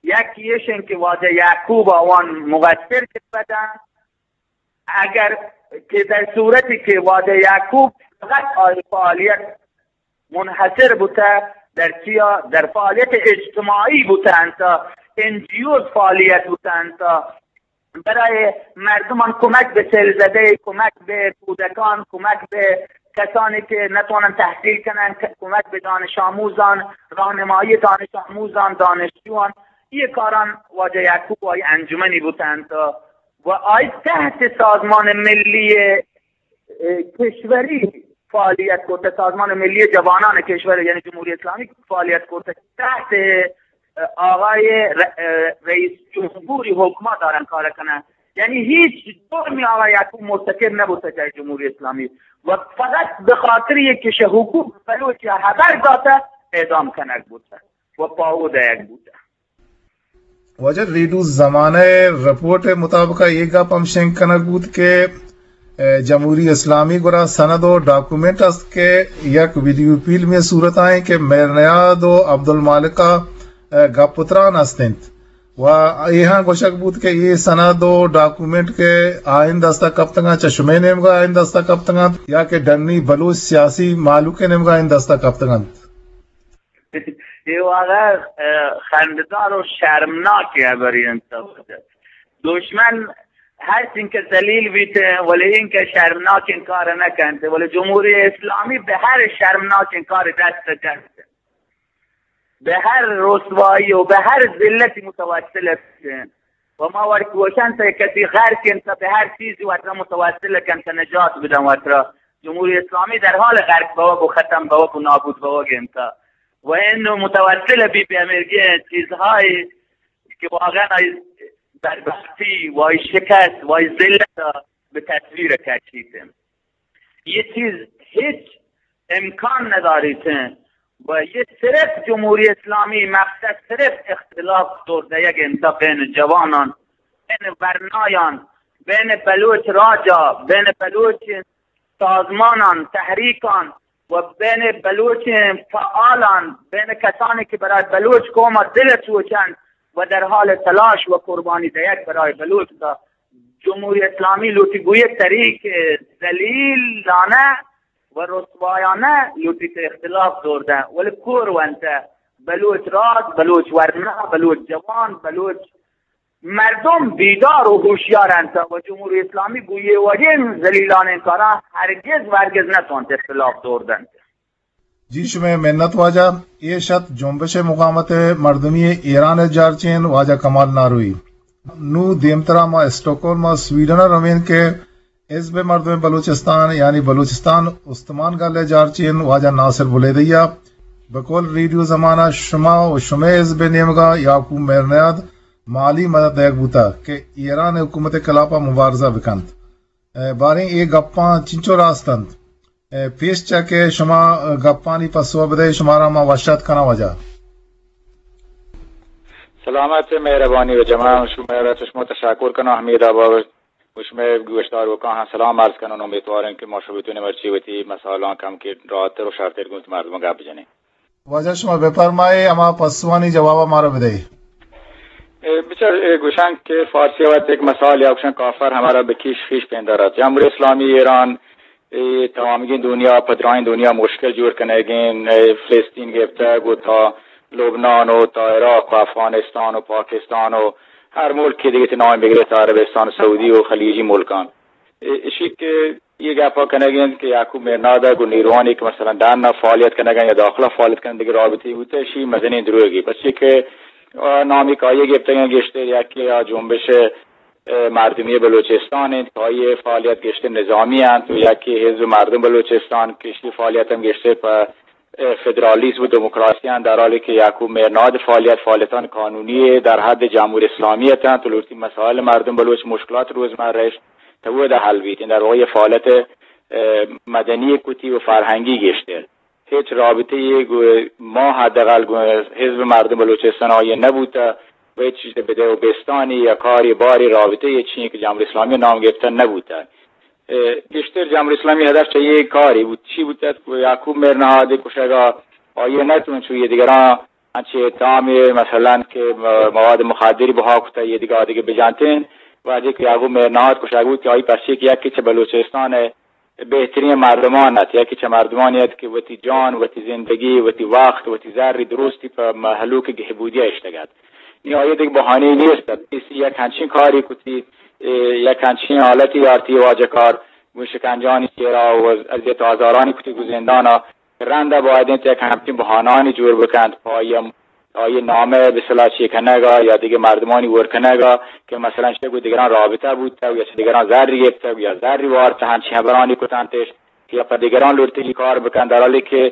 یک ایشن کہ واجہ یعقوب آوان مقصر بدن۔ اگر کہ در صورتی کہ واجہ یعقوب فقط آئی فعالیت منحصر بوتہ در چیا؟ در فعالیت اجتماعی بوتہ انت، این جی اوز فعالیت بوتہ انت، برای مردمان کمک به سیل‌زده، کمک به کودکان، کمک به کسانی که نتوانند تحصیل کنند، ک-، کمک به دانش آموزان، راهنمایی دانش آموزان، دانشجوان، یہ کاران واجہ یعقوب و آئی انجمنی بوتہ انت و آئی تحت سازمان ملی اه، کشوری فعالیت کرتہ، سازمان ملی جوانان کشور یعنی جمہوری اسلامی فعالیت کرتہ، تحت، اه، آقای ر-، اه، رئیس جمہوری حکما دارن کار کنن۔ یعنی هیچ جرمی آقای یعقوب مرتکب نبوتہ جای جمہوری اسلامی و فقط به خاطر یہ کہ شہ حقوق بلوچ یا خبر داتہ اعدام کنگ بوتہ و پاہو دئیگ بوتہ۔ واجہ ریڈیو زمانہ ءِ رپورٹ ءِ مطابق ءَ اے گپ ہم شنگ کنگ بوت کہ، ءِ، جمہوری اسلامی گورا سند و ڈاکومنٹ است کہ یک ویڈیو فلمے صورت ءَ ایں کہ مہر نیاد و عبدالمالک ءَ، ءِ، گپ و تران است انت و اے ہاں گوشگ بوت کہ اے سند و ڈاکومنٹ کہ آئین دست ءَ کپتگ انت، چہ شمئے نیمگ ءَ آئین دست ءَ کپتگ انت یا کہ ڈنی بلوچ سیاسی مہلوک ءِ نیمگ ءَ آئین دست ءَ کپتگ انت؟ اے واقعا، اه، خنددار و شرمناکیں ہبرے انت۔ دشمن ہرچ انکہ ذلیل بیت، ولی انکہ شرمناکیں کار نہ کنت، ولی جمہوری اسلامی بہ ہر شرمناکیں کار دست جنت، بہ ہر رسوائی و بہ ہر ذلتی متوسل است۔ و ما وڑ گوشن تہ کسی غرق انت، بہ ہر چیزی وترا متوسل کنت، نجات بدن وترا۔ جمہوری اسلامی در حال غرق بوگ و ختم بوگ و نابود بوگ انت۔ و انو متوسل بی بہ ہمیرگیں چیزہایی کہ واقعا آئی بدبختی و آئی شکست و آئی ذلت بہ تصویر کشیت۔ یہ چیز ہچ امکان نداریت و یہ صرف جمہوری اسلامی مقصد صرف اختلاف دور دیگ انت بین جوانان، بین ورنایان، بین بلوچ راجا، بین بلوچ سازمانان، تحریکان و بین بلوچ فعالان، بین کسانی کہ برای بلوچ قوم دل سوچنت و در حال تلاش و قربانی دیگ برای بلوچ تا جمہوری اسلامی لوٹی گویے طریق ذلیلانہ و رسوایانہ لوٹی تے اختلاف دور دہ، ولی کور ونتہ بلوچ راج، بلوچ ورنا، بلوچ جوان، بلوچ مردم بیدار و ہوشیار انت و جمہوری اسلامی گویے وڑیں ذلیلانیں کارا ہرگز و ہرگز نتوانت اختلاف دور دنت۔ جی، شمئے منت واجہ۔ اے شت جنبش مقاومت مردمی ایران ء جارچین واجہ کمال ناروی۔ نوں دیمترا ما اسٹاکہولم ء سویڈن ء روین کہ حزب مردم بلوچستان یعنی بلوچستان استمان گل ء جارچین واجہ ناصر بلیدی ء بقول ریڈیو زمانہ شما و شمئے حزب ء نیمگا یعقوب مہرنیاد مالی مدد دئیگ بوتگ کہ ایران ء حکومت ء خلاف ء مبارزہ بکنت۔ ء باریں اے گپاں چنچو راست انت؟ ء پیش چہ کہ شما گپانی پسو بدئے، شمارا ما وش آتک کناں واجہ۔ سلامت، مہربانی و جمع شما را چہ شما تشکر کناں۔ حمید آباد و شما گوشداروکاں ہم سلام عرض کناں۔ امیدواریں کہ ما شما بتونیں مرچی وتی مسائلاں کم کہ راحتر و شرتر گوں مردماں گپ بجنیں۔ واجہ شما بفرمائے، ہما پسوانی جواب مارا بدئے۔ اے بچار، اے گوشن کہ فارسی وقت ایک مثال یا گوشن کافر ہمارا بکیش خیش پیندارت۔ جمہوری اسلامی ایران، اے تمامگیں دنیا، پدرائیں دنیا مشکل جوڑ کنگیں، اے فلسطین گپتگ و تا لبنان و تا عراق و افغانستان و پاکستان و ہر ملک کہ دیگہ نام بگرے تا عربستان سعودی و خلیجی ملکان۔ اے، اشی کہ یہ گپا کنگ انت کہ یعقوب مہرناد ء گوں نیروانی کہ مثلاً ڈن ء فعالیت کنگ ء یا داخلہ فعالیت کنگ دگہ رابطے بوتہ، اشی مزنیں دروگے، پرچے کہ، آ، نامی کہ آئی ء گپتگ انت گیشتر یکے آ جنبش، آ، مردمی بلوچستان انت کہ آئی ء فعالیت گیشتر نظامی انت و یکے حزب مردم بلوچستان کہ اشی فعالیت ہم گیشتر پہ فدرالیسم و دموکراسی انت، در حالی کہ یعقوب مہرناد فعالیت، فعالیتان قانونی در حد جمہوری اسلامی اتنت و لوٹی مسائل مردم بلوچ مشکلات روزمرہ اش تا اودا حل بیت۔ در واقع فعالیت، اه، مدنی کتی و فرہنگی گیشتر۔ ہچ رابطہ یے گو ما حداقل گو حزب مردم بلوچستان آئی نبوتہ و ہچ چیز بدہ و بستانی یا کاری باری رابطہ یے چین کہ جمہوری اسلامی نام گرفتہ نبوتہ۔ اه، گیشتر جمہوری اسلامی ہدف چہ یہ کاری بوت، چی بوت ات کہ یعقوب مہرنہاد کشگا آئی نہ تون چو یہ دیگراں انچے تام مثلاً کہ مواد مخدری بہا کتا یہ دیگہ آدگہ بجانتیں۔ وہدے کہ یعقوب مہرنہاد کشگ بوت کہ آئی پرچے کہ یکی چہ بلوچستان بہترین مردمان ات، یکی چہ مردمانی ات کہ وتی جان، وتی زندگی، وتی وقت، وتی زری درستی پہ مہلوک گہبودی اشتگ ات۔ نی آئی دگہ بہانے نیست ات۔ اسی یک ہنچین کاری کتی، اے، یک ہنچین حالتی آرتی واجہ کار، گوں شکنجانی چیرا و اذیت و آزارانی کتی گوں زندانا۔ رند باید انت یک ہنچین بہانانی جوڑ بکنت پہ آئی، آئی نامہ بسلا چی کنگا یا دیگہ مردمانی ور کنگا کہ مثلاً چہ گوں دیگران رابطہ بوتگ یا چہ دیگران زری گپتگ یا زری وارتہ، ہنچین ہبرانی کتنتش یا پہ دیگران لوٹتگی کار بکنت، در حالی کہ،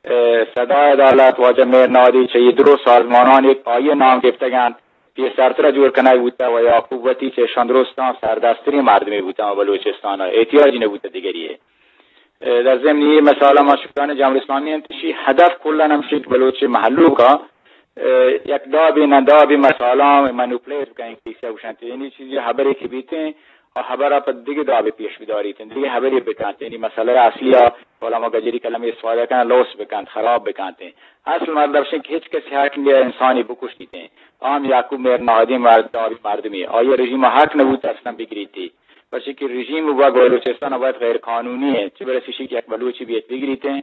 اه، صدای عدالت واجہ مہرنہادی چہ یہ درو سازمانانی آئی نام گپتگ انت، پیسرترا جوڑ کنگ بوتہ و یعقوب وتی چہ اشان درستاں سردسترین مردمے بوتہ بلوچستان، احتیاجی نبوتہ دیگری۔ اه، در ضمن یہ مسئلہ ما شکران جمہوری اسلامی انت، شی ہدف کلاً ہمشی کہ بلوچ مہلوکا، اه، یک دابی نہ دابی مسئلہ مینوپلیٹ بکنیں کیسے گوشنت۔ یعنی چیزی ہبرے کہ بیتیں، آ ہبرا پہ دگہ دابے پیش بداریت، دگہ ہبرے بکنت۔ یعنی مسئلہ اصلی آ علماء گجری کلمے استفادہ کنن، لوث بکنت، خراب بکنت۔ اصل مطلب شن کہ ہچ کسی حق نیہ انسانی بکشیت۔ عام یعقوب مہرنہادی مرد، دابی مردمی۔ آئی رژیم حق نبوت اصلاً بگریتی۔ پرچہ کہ رژیم و بلوچستان باید غیر قانونی ہے۔ چہ برسی شی کہ یک بلوچی بیت بگریتیں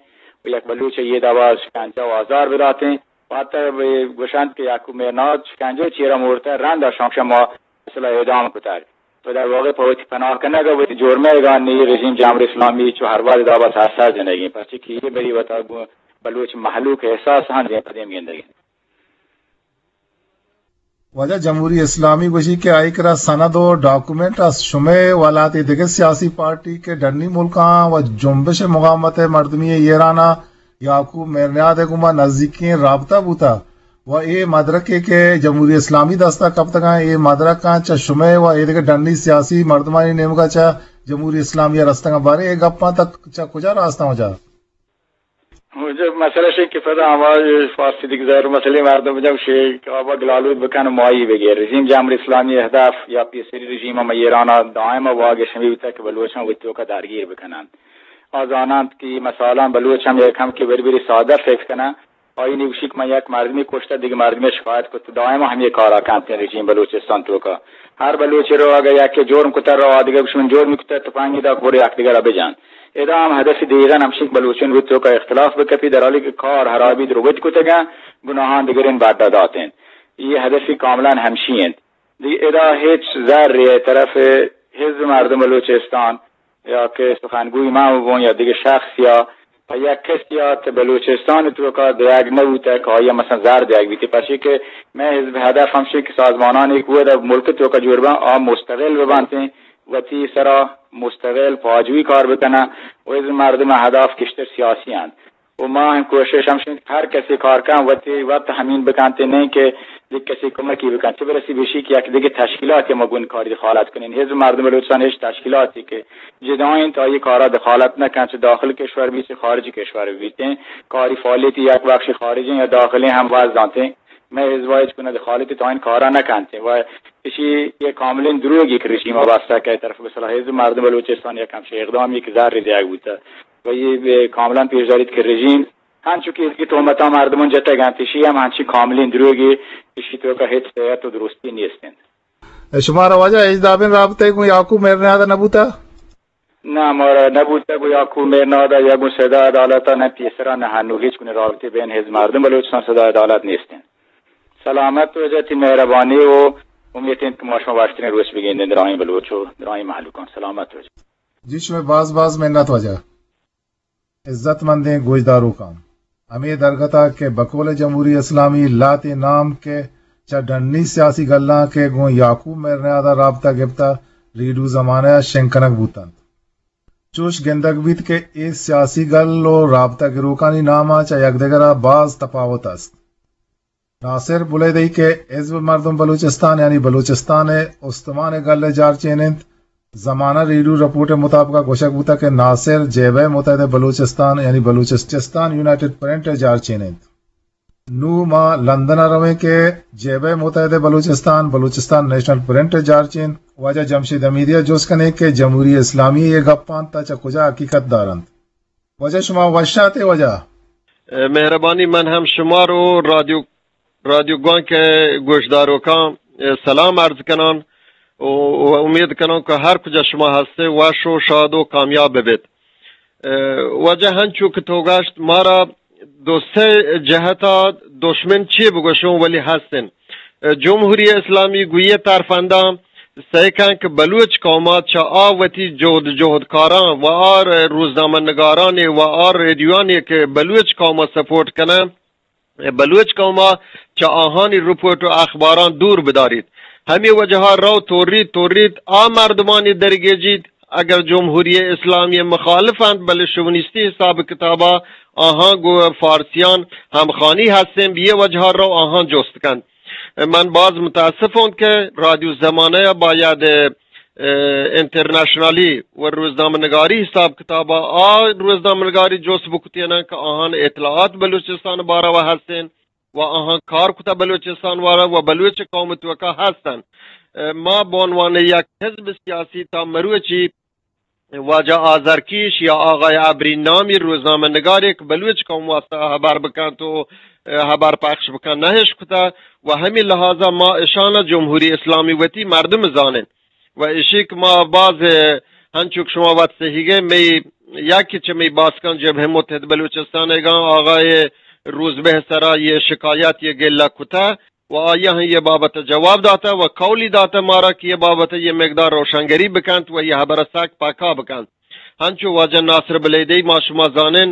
و یک بلوچ یہ دابا شکنجہ و آزار بداتیں۔ پاتہ گوشنت کہ یعقوب مہرناز شکنجہ چیرا مورتہ، رند آ شمشہ ما مثلا اعدام کتگ۔ تو در واقع پہ وتی پناہ کنگ ء وتی جرمے گا نی رژیم جمہوری اسلامی چو ہر وہد دابا سر سر جنگیں، پرچہ کہ یہ بری وتا گوں بلوچ مہلوک احساس ہند پدیم گندگیں۔ واجہ، جمہوری اسلامی گوشی کہ آئی کرا سند و ڈاکومنٹ است، شمئے و لہتے دگہ سیاسی پارٹی کہ ڈنی ملکاں و جنبش مقاومت مردمی ایران ء یعقوب مہرنیاد ء گوما نزیکیں رابطہ بوتہ و اے مدرکے کہ جمہوری اسلامی دستا کپتگاں، اے مدرکاں چہ شمئے و ایدگہ ڈنی سیاسی مردمانی نیمگا چہ جمہوری اسلامی ء رستگاں، باریں اے گپاں تک چہ کجا راستاں وجہ؟ واجہ، مسئلہ شے کہ پدا ہما فارسی دیگ ظاہر مسئلے مردم جب شے کہ آبا گلالود بکن و مائی بگیر۔ رژیم جمہوری اسلامی اہداف یا پیسری رژیم ہم ایران ء دائم ء واگش ہمے بوتگ کہ بلوچاں وتی توکا درگیر بکننت۔ آ زاننت کہ مثلاً بلوچ ہم یک ہم کہ بری بری سادہ فکر کنن، آئی نوشی کہ من یک مردمی کشتہ، دگہ مردمی شکایت کت، دائم ہمے کارا کنت رژیم بلوچستان توکا۔ ہر بلوچے رو اگہ یکے جرم کتہ، رو آدگہ گوشی من جرم کتہ، تپنگی دا کور یک دگرا بجن۔ ادا ہم ہدف دیگن ہمشی کہ بلوچن وت توکا اختلاف بکپی، در حالی کہ کار ہرابی دروت کتگن، گناہان دگرین بڈا داتین۔ یہ ہدفی کاملاً ہمشی انت۔ دی ادا ہچ زر طرف حزب مردم بلوچستان یا کہ سخنگوی من بون یا دگہ شخص یا پہ یک کسی ات بلوچستان توکا دیگ نہ بوتہ کہ آیا مثلاً زر دیگ بیتی، پرچے کہ مئے حزب ہدف ہمشی کہ سازمانانی کہ ودا ملک توکا جوڑ بن، آ مستقل ببنتیں، وتی سرا مستقل پاجوی کار بکنن و حزب مردم ہدف کشتر سیاسی انت۔ و ما ہم کوشش ہمشی کہ ہر کسی کار کن وتی وت ہمین بکنت، نہیں کہ یک کسی کمکی بکن، چہ برسی بشی کہ یک دگہ تشکیلاتی ما گون کاری دخالت کنین۔ حزب مردم بلوچستان ہچ تشکیلاتی کہ جدائیں تا یہ کارا دخالت نہ کن، چہ داخل کشور بیت، چہ خارج کشور بیت۔ کاری فعالیتی یک بخش خارجی یا داخلی ہم وز دانتے۔ میں حزب ہچ گونه دخالتی تا این کارا نہ کنتے و اشی یہ کاملین دروگی کہ رژیم واسطہ کہ طرف بسلا حزب مردم بلوچستان یک ہمشی اقدامی کہ زر دیگ بوتہ۔ و یہ کاملاً پیش داریت کہ رژیم ہنچو کہ ازگی تہمتاں مردمان جتگ انت، ایشی ہم ہنچی کاملیں دروگے، ایشی توکا ہچ صحت و درستی نیست انت۔ شمارا واجہ ہچ دابیں رابطہ گوں یعقوب مہرنیاد نہ بوتہ؟ نہ، مارا نہ بوتہ گوں یعقوب مہرنیاد یا گوں صدا عدالت نہ پیسرا نہ ہنو ہچ گونی رابطے بین حزب مردم بلوچستان صدا عدالت نیست انت۔ سلامت واجہ، تی مہربانی و امیت انت کہ ما شما وشترین روچ بگندیں درائیں بلوچ و درائیں مہلوکان۔ سلامت واجہ۔ جی شمئے باز باز منت واجہ۔ عزت مندیں گوشداروکاں، ہمے درگت ء کہ بقول جمہوری اسلامی لہتیں نام کہ چہ ڈنی سیاسی گلاں کہ گوں یعقوب مہرنیاد ء رابطہ گپتہ، ریڈیو زمانہ ء شنگ کنگ بوتنت۔ چوش گندگ بیت کہ اے سیاسی گل و رابطہ گروکانی نام ء چہ یکدگر ء باز تپاوت است۔ ناصر بلیدئی کہ حزب مردم بلوچستان یعنی بلوچستان ء استمان ء گل ء جارچین انت، زمانہ ریڈیو رپورٹ ء مطابق ء گوشگ بوتگ کہ ناصر جبہہ متحدہ بلوچستان یعنی بلوچستان یونائیٹڈ پرنٹ ء جارچین انت۔ نوں ما لندن ء رویں کہ جبہہ متحدہ بلوچستان، بلوچستان نیشنل پرنٹ ء جارچین واجہ جمشید حمیدی ء جست کنیں کہ جمہوری اسلامی ء اے گپاں تا چہ کجا حقیقت دارنت۔ واجہ شما وش آتے واجہ۔ اے، مہربانی، من ہم شما رو رادیو، رادیو گوانک ء گوشداروکاں، اے، سلام عرض کنان و، و امید کنان کہ ہر کجا شما ہستے وش و شاد و کامیاب ببیت۔ اے، واجہ ہنچو کہ تو گشت مارا دو سے جہتا دشمن چی بگوشوں ولی ہستن۔ اے، جمہوری اسلامی گویے ترفنداں سعی کن کہ بلوچ قوما چہ آ وتی جہد جہدکاراں و آ روزنامہ نگارانی و آ ریڈیوانی کہ بلوچ قوما سپورٹ کنن، بلوچ قوما چہ آہانی رپورٹ و اخباراں دور بداریت۔ ہمے وجہا رو توریت، توریت آ مردمانی درگیجیت، اگر جمہوری اسلامی مخالف انت، بلے شوونیستی حساب کتابا آہاں گوں فارسیان ہمخوانی ہستیں، بہ اے وجہا رو آہاں جست کنت۔ من باز متاسف اوں کہ رادیو زمانہ ء باید، ء، انٹرنیشنلی و روزنامہ نگاری حساب کتابا آ روزنامہ نگاری جست بکتینن کہ آہان اطلاعات بلوچستان باروا ہستین و آہان کار کتا بلوچستان باروا و بلوچ قوم توکا ہستن۔ ء، ما بعنوان یک حزب سیاسی تا مروچی واجہ آذرکیش یا آغای ابری نامی روزنامہ نگارے کہ بلوچ قوم واسطہ ہبر بکنت و، ء، ہبر پخش بکن نہ اشکتہ و ہمے لحاظا ما اشانا جمہوری اسلامی وتی مردم زانن و اشی کہ ما باز، ء، ہنچو کہ شما وت سہیگیں مئی یکی چہ مئی باسکان جبہہ متحد بلوچستان گاں آغای روزبہ سرا یہ شکایت، یہ گلہ کتہ و آیا ہم یہ بابت جواب داتہ و قولی داتہ مارا کہ یہ بابت یہ مقدار روشنگری بکنت و یہ حبر سک پکا بکنت۔ ہنچو واجہ ناصر بلیدی ما شما زانن،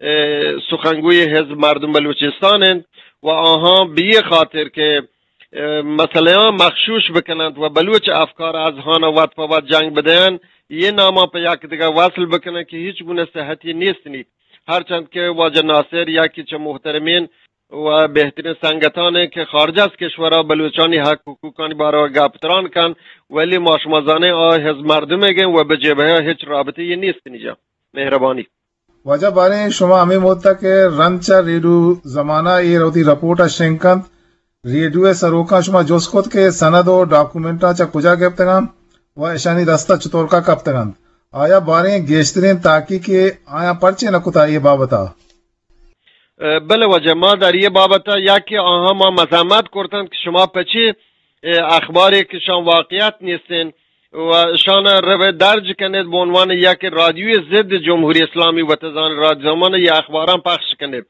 اه، سخنگوی حزب مردم بلوچستان انت و آہاں بی خاطر کہ، اه، مسئلہاں مخشوش بکننت و بلوچ افکار از ہانا وت پہ وت جنگ بدین، یہ ناما پہ یک دگہ وصل بکنن کہ ہیچ گونہ صحتی نیست نیت۔ ہرچند کہ واجہ ناصر یا کہ چہ محترمین و بہترین سنگتانے کہ خارج از کشورا بلوچانی حق حقوقانی باروا گپ تران کن، ولی ما شما زانیں آ حزب مردمے گیں و بہ جبہہ ہچ رابطے یہ نیست نجا۔ مہربانی۔ واجہ باریں شما ہمے مدت کہ رند چہ ریڈیو زمانہ اے وتی رپورٹ ء شنگ کنت، ریڈیو ء سروکاں شما جست کت کہ سند و ڈاکومنٹاں چہ کجا گپتگ انت و اشانی دست ء چطورکا کپتگ انت؟ آیا باریں گیشتریں تحقیق ء آیاں پرچے نہ کتا اے بابت ء؟ بلے واجہ، ما در یہ بابت ء یا کہ آہاں ما مذمت کرتن کہ شما پچی، اه، اخبارے کہ شان واقعیت نیستین و شان رو درج کنید به عنوان یک رادیوی ضد جمهوری اسلامی و تزان رادیو زمان یہ اخباران پخش کنید۔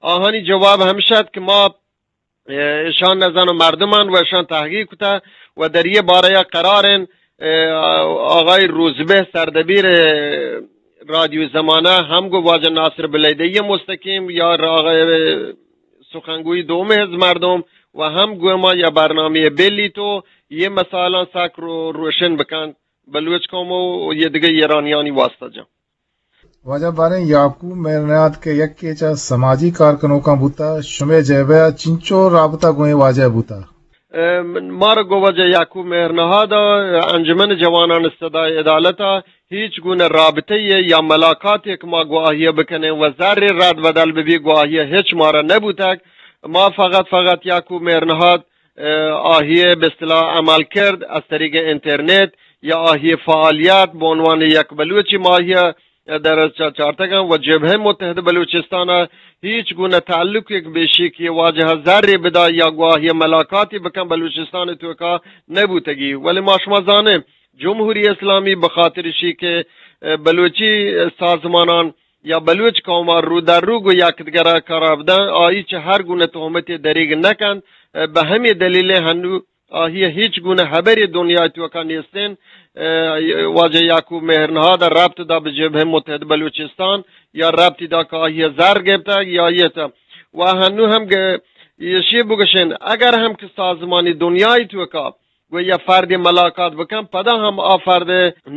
آہانی جواب ہمشد کہ ما، اه، شان نزان مردمان و شان تحقیق کتا و در یہ بارہ قرار ان، اه، آقای روزبه سردبیر، اه، رادیو زمانہ ہم گو واجہ ناصر بلیدی مستقیم یا آقای سخنگوی دوم حزب مردم و ہم گو ما یا برنامہ بلی تو یہ مسائلاں سک رو-، روشن بکن بلوچ قوم و یہ دگہ ایرانیانی واسطہ جان۔ واجہ باریں یعقوب مہرنیاد کہ یکے چہ سماجی کارکنوکاں بوتا، شمے جیبہ چنچو رابطہ گوئیں واجہ بوتا؟ ام، مارا گو واجہ یعقوب مہرنہاد ء انجمن جوانان صدای عدالت ء ہیچ گونہ رابطہ یا ملاقات یک ما گواہی بکنیں و زر رد بدل ببی گواہی ہچ مارا نبوتگ۔ ما فقط، فقط یعقوب مہرنہاد، اه، آہی بہ اصطلاح عمل کرد از طریق انترنت یا آہی فعالیت به عنوان یک بلوچی ماہی در چا-، چارتگاں و جبهه متحد بلوچستان ء ہیچ گونه تعلق یک بیشی کہ واجہ زر بدا یا گواہی ملاقاتی بکن بلوچستان توکا نبوتگی۔ ولی ما شما زانیں جمہوری اسلامی بخاطر شی کہ، اه، بلوچی سازمانان یا بلوچ قوم ء رو در رو گو یک دگر ء قرار بدن، آئی چہ ہر گونه تہمتے دریگ نکنت، اه، بہ ہمے دلیل ہنو آہی ء ہیچ گونہ ہبرے دنیا توکا نیستین۔ اه، واجہ یعقوب مہرنہاد ء ربط دا بہ جبهه متحد بلوچستان یا ربطی دا کہ آہی ء زر گپتگ یا یہ تا۔ و ہنو ہم گ-، ایشی بگشین، اگر ہم کہ سازمانی دنیای توکا گو یا فردی ملاقات بکن، پدا ہم آ فرد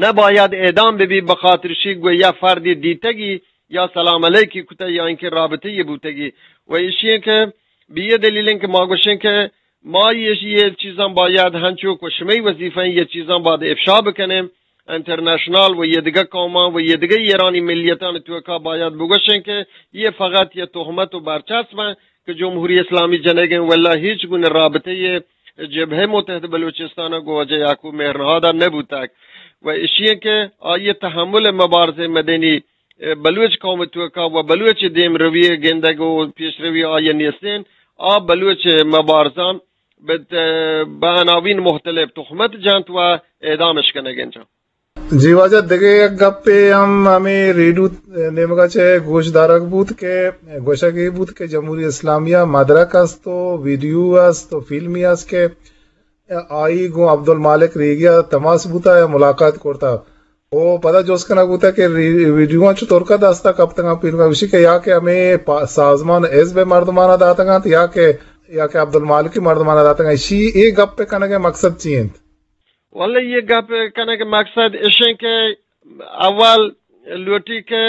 نباید اعدام ببی بخاطر شی گو یا فردی دیتگی یا سلام علیکی کتا یا اینکہ رابطه یہ بوتگی۔ و ایشی کہ بہ یہ دلیل کہ ما گوشیں کہ ما یہ، یہ چیزاں باید ہنچو کہ شمئی وظیفہ ہیں، یہ چیزاں باید افشا بکنیں انٹرنیشنل و یہ دگہ قوماں و یہ دگہ ایرانی ملیتان توکا باید بگوشیں کہ یہ فقط یہ تہمت و برچسب ہیں کہ جمہوری اسلامی جنگ ہیں، واللہ ہیچ گونہ رابطہ یہ جبہہ متحد بلوچستان گو واجہ یعقوب مہرنہاد نبوتگ و اشی ہیں کہ آئی تحمل مبارزہ مدنی بلوچ قوم توکا و بلوچ دیم روی گندگ و پیش روی آئی نیستین۔ آ بلوچ مبارزان بہ عناوین مختلف تہمت جنت و اعدامش کنگ انت۔ جی واجہ، دگہ یک گپے ہم ہمے ریڈیو نیمگا چہ گوش دارگ بوت کہ گوشگ ای بوت کہ جمہوری اسلامیہ مدرک است و ویڈیو است و فلمی است کہ آئی گوں عبدالمالک ریگیا تماس بوتا یا ملاقات کرتا۔ او پدا جست کنگ بوتا کہ ری-، ویڈیواں چطورکا دستا کپتگاں پیرگا گوشی کہ یا کہ ہمیں پا-، سازمان حزب مردمانا داتگاں یا کہ، یا کہ عبدالمالکی مردمانا داتگاں۔ اشی اے گپ کنگ مقصد چی انت؟ واللہ یہ گپ کنگ مقصد اشیں کہ اول لوٹی کہ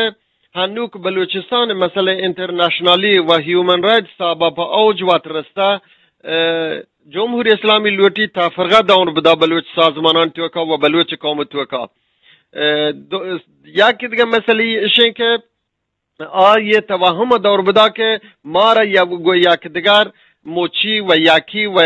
ہنوک بلوچستان مسئلہ انٹرنیشنلی و ہیومن رائٹس صاحبہ پہ اوج وات رستہ، اه، جمہوری اسلامی لوٹی تفرقہ دور بدا بلوچ سازمانان توکا و بلوچ قوم توکا۔ اه، دو-، یا کہ دگہ مسئلہ اشیں کہ آ یہ توہم دور بدا کہ مارا یا گو یک دگر مچی و یکی و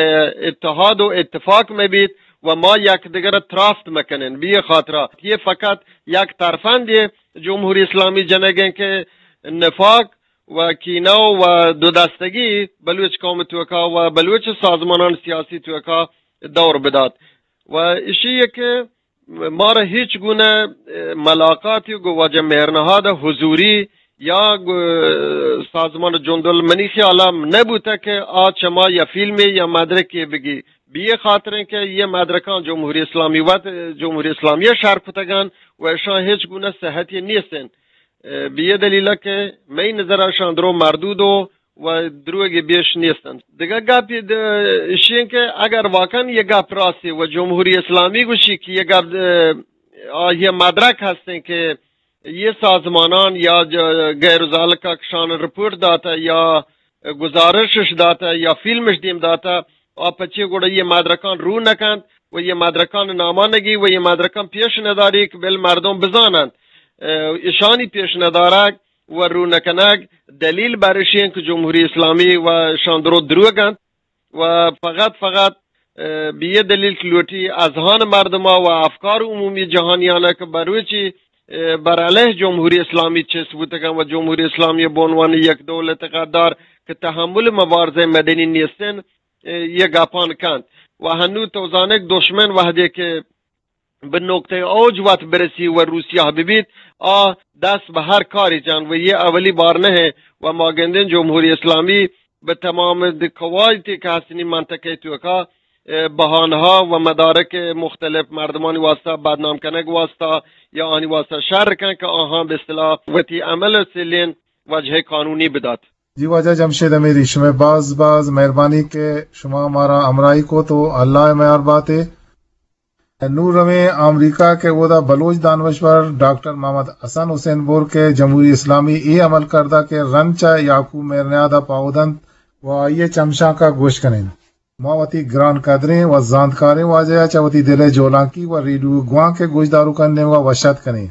اتحاد و اتفاق میں بیت و ما یک دگر ترافت مکنن۔ بی خاطرہ یہ فقط یک ترفند یہ جمہوری اسلامی جنگیں کہ نفاق و کینہ و دو دستگی بلوچ قوم توکا و بلوچ سازمانان سیاسی توکا دور بدات۔ و اشی کہ مارا ہیچ گونہ ملاقاتی گو واجہ مہرنہاد حضوری یا گو-، سازمان جندل منی خیالا نبوتہ کہ آ چما یا فیلمے یا مدرکے بگی۔ بی اے خاطریں کہ یہ مدرکان جمہوری اسلامی وت، جمہوری اسلامی شر کتگان و اشان ہچ گونہ صحتی نیستن۔ بی اے دلیلہ کہ مئی نظر اشان درو مردود و و دروگی بیش نیستن۔ دگہ گپی د-، اشی کہ اگر واقعاً یہ گپ راستی و جمہوری اسلامی گوشی کہ یہ گپ، آ، یہ مدرک ہستیں کہ یہ سازمانان یا ج-، غیر ذالک کشان رپورٹ داتا یا گزارشش داتا یا فیلمش دیم داتا، آ پچے گڑا یہ مدرکان رو نکنت و یہ مدرکان ناما نگی و یہ مدرکان پیش نداری کہ بل مردم بزانند۔ اشانی پیش ندارگ و رو نکنگ دلیل بر اشی انت کہ جمہوری اسلامی و شان درو دروگ انت و فقط، فقط، بی یہ دلیل کہ لوٹی اذہان مردما و افکار عمومی جہانیانا کہ بروچی، بر علیہ جمہوری اسلامی چست بوتگن و جمہوری اسلامی بہ عنوان یک دولت غدار کہ تحمل مبارزہ مدنی نیستن، یہ گپان کنت۔ و ہنو تو زانگ دشمن وحدے کہ بہ نقطہ اوج وت برسی و روسیاہ ببیت، آ دست بہ ہر کاری جان و یہ اولی بار نہ ہے و ما گندیں جمہوری اسلامی بہ تمام قواعدی کہ ہستنی منطقہ توکا، بہانہا و مدارک مختلف مردمانی واسطہ بدنام کنگ واسطہ یا آنی واسطہ شر کن کہ آہاں بہ اصطلاح وتی عمل سلین وجہ قانونی بدات۔ جی واجہ جمشید امیری، شمئے باز باز مہربانی کہ شما مارا ہمراہی کو تو اللہ مہر باتے۔ نوں رویں آمریکا کہ اودا بلوچ دانشور ڈاکٹر محمد حسن حسین بور کہ جمہوری اسلامی اے عمل کردہ کہ رند چہ یعقوب مہرنیاد ء پاہو دنت و آئی ء چمشانک ء گوش کنیں۔ ما وتی گران قدریں و زانتکاریں واجہ ء چہ وتی دل ء جولانکی و ریڈیو گوانک ء گوشداروکانی نیمگ ء وش اتک کنیں۔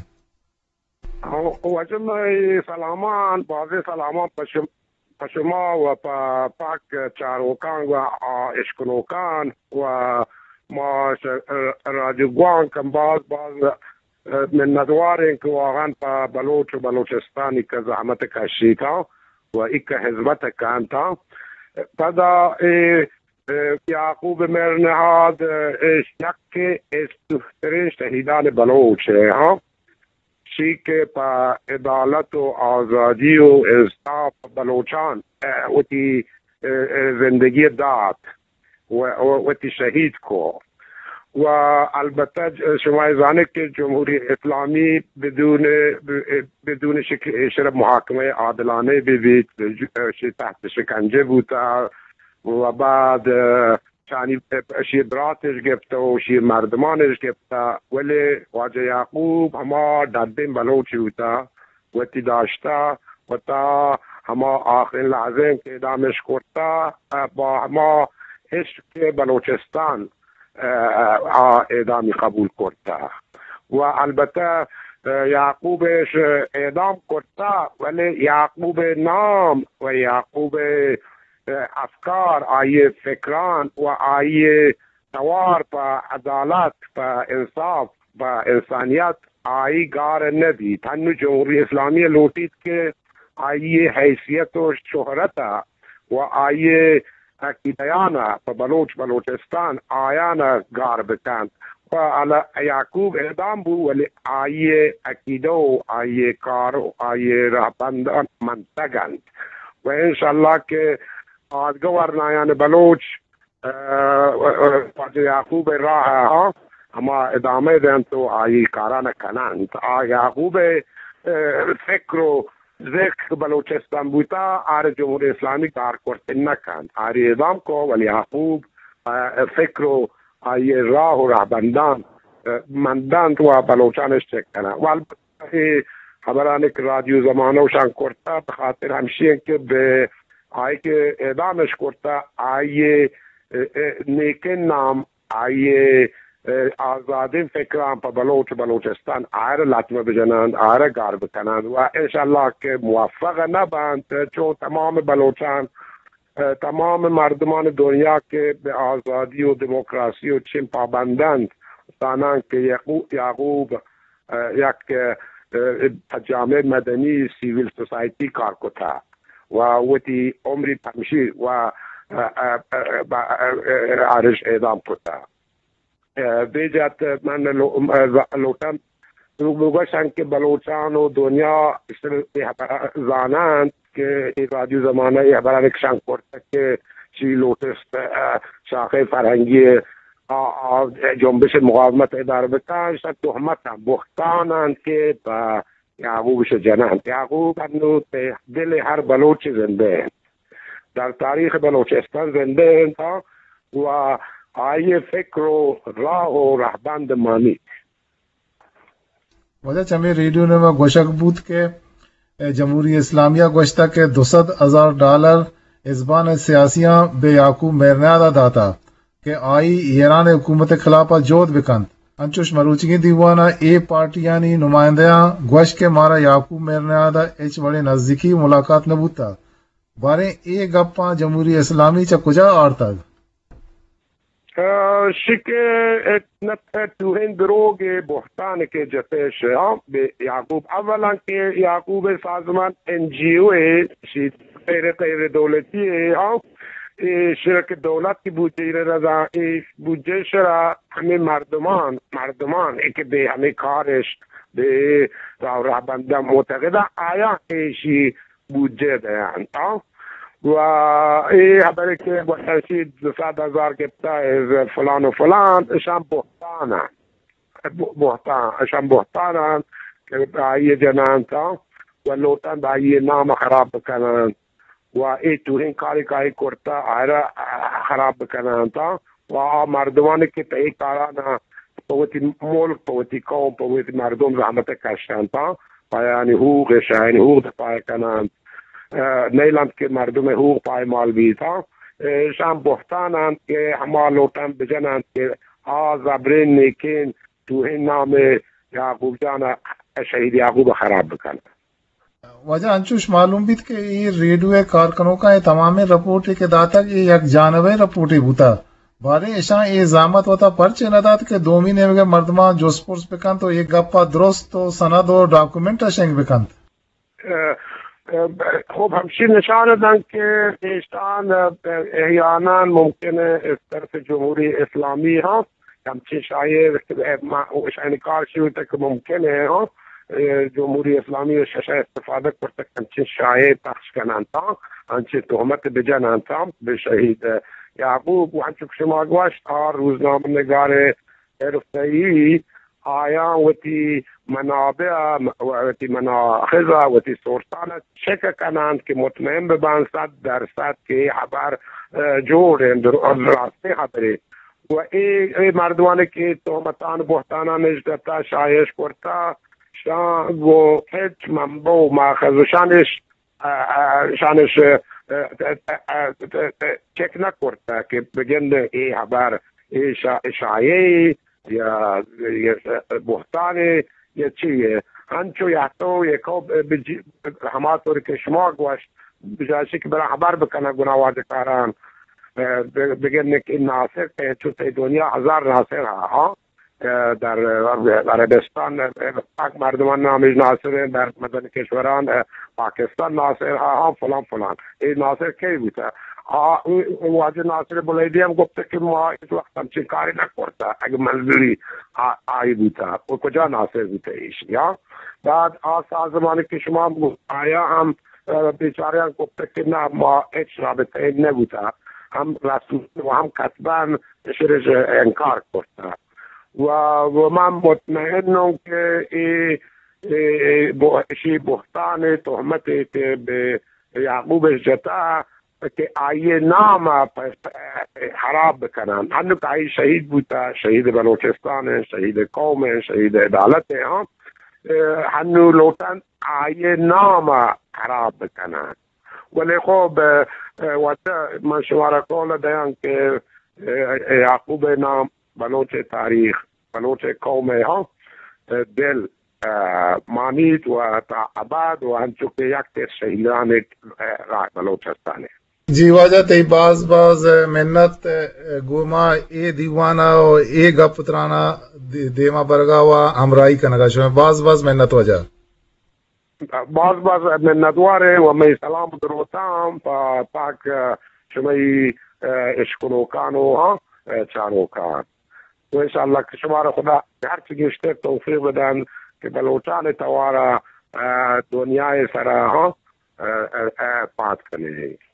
واجہ مئے سلامان، بازیں سلامان پہ شم-، پہ شما و پہ پاک چاروکان و آ اشکنوکان و ما ش-، رادیو گوانک ہم باز باز منتواریں کہ واقعاً پہ بلوچ و بلوچستانی کہ زحمت کشیتاں و ایک خدمت کنتاں۔ پدا اے، اے یعقوب مہرنہاد، اے، یک استریں شہیدان بلوچ ہے، ہاں۔ چی کہ پہ عدالت و آزادی و انصاف بلوچان، ء، وتی، ء، ء، زندگی دات و، و وتی شہید کو۔ و البتہ ج-، شما زانے کہ جمہوری اسلامی بدون، ب-، بدون شک ایشرا محاکمہ عادلانہ بہ بیت، ش-، تحت شکنجہ بوتا و بعد، ء، چانی اشی براتش گپتہ و اشی مردمانش گپتہ، ولی واجہ یعقوب ہما ڈڈیں بلوچی بوتہ، وتی داشتہ و تا ہما آخرین لحظہ کہ اعدامش کرتہ، با ہما عشق بلوچستان، آ اعدامی قبول کرتہ۔ و البتہ یعقوبش اعدام کرتہ، ولی یعقوب نام و یعقوب افکار، آئی ء فکران و آئی ء توار پہ عدالت، پہ انصاف، پہ انسانیت آئی گار نہ بیت۔ ہنو جمہوری اسلامی لوٹیت کہ آئی ء حیثیت و شہرت ء و آئی ء عقیدیان ء پہ بلوچ بلوچستان آیان ء گار بکنت۔ و علی یعقوب اعدام بو، ولی آئی ء عقیدہ و آئی ء کار و آئی ء رہبندان منتگ انت۔ و انشاءاللہ کہ آدگہ ورنایان بلوچ، ء، ء، واجہ یعقوب ء راہ ء ہما ادامہ دنت و آئی کاران کننت۔ آ یعقوب ء، ء، فکر و ذکر بلوچستان بوتا، آر جمہوری اسلامی کار کرت نہ کنت۔ آری اعدام کو، ولی یعقوب، ء، فکر و آئی راہ و رہبندان، ء، مندنت و بلوچانش چک کننت۔ و البتہ اے ہبرانی کہ رادیو زمانہ و شان کرتا، بہ خاطر ہمشی انت کہ بہ آئی کہ اعدامش کرتا، آئی ء، ء، نیکیں نام، آئی ء، ء، آزادیں فکران پہ بلوچ و بلوچستان آئر لطمہ بجنند، آئر گار بکنند و انشاءاللہ کہ موفق نہ بنت، چون تمام بلوچان، ء، تمام مردمان دنیا کہ بہ آزادی و دموکراسی و چین پابندند، زانند کہ یعقو-، یعقوب ء، یک، ء، ء، جامعہ مدنی، سیول سوسائٹی کار کتا و وتی عمری پمشی و، ء، ء، ء، ب-، ء، ء، آرش اعدام کتا۔ ء، بے جات من لو-، ء، لوٹم دروگ بگوشن کہ بلوچان و دنیا اشتر اے حبر زاننت کہ اے رادیو زمانہ اے حبران کشان کرتگ کہ چی لوٹست، اه، شاخہ فرہنگی آ، آ، جنبش مقاومت ادارہ بکن، اشان تہمت انت، بہتان انت کہ پہ یعقوب اش جننت۔ یعقوب انو تہ دل ہر بلوچ زندہ انت، در تاریخ بلوچستان زندہ انت و آئی فکر و راہ و رہبند مانیت۔ واجہ چمے ریڈیو نیمگ ءَ گوشگ بوت کہ جمہوری اسلامی ءَ گوشتگ کہ دو سد ہزار ڈالر ہزبان سیاسیاں بہ یعقوب مہرنیاد ءَ داتگ کہ آئی ایران ءِ حکومت ءِ خلاف ءَ جہد بہ کنت۔ انچوش مروچیگیں دیوان ءَ اے پارٹیانی نمائندہاں گوشت کہ مارا یعقوب مہرنیاد ءَ ہچ وڑیں نزیکی ملاقات نہ بوتگ۔ باریں اے گپاں جمہوری اسلامی چہ کجا آرتگ؟ اه، شکہ نت ٹوہین دروگ ءِ بہتان کہ جتش، ہاں، بہ یعقوب۔ اولاً کہ یعقوب ءِ سازمان این جی او ءِ، شی غیر، غیر دولتی ءِ، ہاں، اے شرک دولت کی بودجہ ءِ رضا، اے بودجہ شرا ہمیں مردمان، مردمان ءَ کہ بہ ہمیں کارش، بہ راہ رہبنداں معتقداں، آیاں ایشی بودجہ دینت، ہاں۔ و اے حبرے کہ گوشنشی دو سد ہزار گپتا از فلان و فلان، اشان بہتان انت۔ بہ-، بہتان، اشان بہتان انت کہ آئی جننت، ہاں، و لوٹنت آئی نام خراب بکننت۔ و اے ٹوہین کارے کہ آئی کرتا، آئرا خراب بکننت، ہاں۔ و آ مردمانی کہ تہ اے کارانا پہ وتی ملک، پہ وتی قوم، پہ وتی مردم زحمت کشنت، ہاں، پہ آیانی حقوق، شہ آیانی حقوق دفاع کننت، اه، نیلنت کہ مردم حقوق پائمال بیت، ہاں۔ اشان بہتان انت کہ ہما لوٹنت بجننت کہ آ زبرین نیکین ٹوہین نام یعقوب جان ءَ، شہید یعقوب ءَ خراب بکننت۔ واجہ انچوش معلوم بیت کہ اے ریڈیو ءِ کارکنوکاں اے تمامیں رپورٹے کہ داتگ، اے یک جانبیں رپورٹے بوتگ۔ باریں اشاں اے زحمت وتا پرچے نہ دات کہ دومی نیمگ ءِ مردماں جست پرس بکنت و اے گپ ءَ درست و سند و ڈاکومنٹ ءَ شنگ بکنت؟ اه، اه، خوب ہمشی نشان دنت کہ ایشان، اه، احیاناً ممکن ہے از طرف جمہوری اسلامی ہاں ہمچین شایعہ، ما، اشانی کار شروع تک ممکن ہے، ہاں، اے، جمہوری اسلامی و ششہ استفادہ کرتگ، ہمچین شایعہ پخش کننت، ہاں، ہمچین تہمت بجننت، ہاں، بہ شہید یعقوب۔ و ہنچو کہ شما گوشت، آ روزنامہ نگار حرفہ‌ای آیاں وتی منابع، وتی مناخذ، وتی سورسان چک کننت کہ مطمئن ببنت صد درصد کہ اے حبر، اه، جوڑ انت، در-، راستیں حبرے۔ و اے، اے مردمانی کہ تہمتان بہتانان اش دتا، شایش کرتا، شان گو ہچ منبع و ماخذ شانش، اه، اه، شانش، اه، اه، اه، اه، چک نہ کرتا کہ بگند اے حبر، اے شا-، شایعے یا، یا بہتانے یا چی ہے۔ ہنچو یا تو یکو بجی-، ہما طور کہ شما گوشت، بجائے کہ برا حبر بکنن گناہ واجہ کاران، اه، ب-، بگندے کہ ناصر کہ چو تئی دنیا ہزار ناصر ہا، ہاں، اه، در عربستان، اه، پاک مردمان نامش ناصر ہیں، در مدن کشوران، اه، پاکستان ناصر ہا، ہاں، فلان فلان۔ اے ناصر کئی بوتا؟ آ، واجہ ناصر بلیدی ہم گپتا کہ ما اس وقت ہمچین کاری نہ کرتا، اگہ منظوری آ-، آئی بوتا، وہ کجا ناصر بوتا ایشی، ہاں؟ بعد آ سازمانی کہ شما آیا ہم، اه، بیچاریان گپتگ کہ نہ، ما ہچ رابطہ نہ بوتا، ہم رسمی و ہم کتباً شرش انکار کرتا۔ و، و من مطمئنم کہ اے، اے، اے بو-، اشی بہتان تہمت کہ بہ یعقوب جتا کہ آئی نام پ-، پ-، خراب بکنن۔ ہنو کہ آئی شہید بوتا، شہید بلوچستان ہیں، شہید قوم ہیں، شہید عدالت ہیں، ہاں۔ اه، ہنو لوٹن آئی نام خراب بکنن۔ ولی خب، اه، اه، وت من شمارا قول دیان کہ، اه، یعقوب نام بلوچ تاریخ، بلوچ قوم ہاں، اه، دل، اه، مانیت و تا ابد و ہنچو کہ یک تر شہیدان، اه، راہ بلوچستان ہے۔ جی واجہ، تئی باز باز منت، اه، گوما اے دیوانا و اے گپ ترانا دی-، دیما برگا و ہمراہی کنگا شما۔ باز باز منت واجہ۔ باز باز منتوار ہیں و مئے سلام دروتاں پا-، پاک، اه، شمئی، اه، اشکنوکان و، ہاں، اه، چاروکان۔ و انشاءاللہ کہ شمارا خدا ہرچی گیشتر توفیق بدن کہ بلوچانی توارا، آ، دنیا سرا، ہاں، آ، آ، آ، پات کنے۔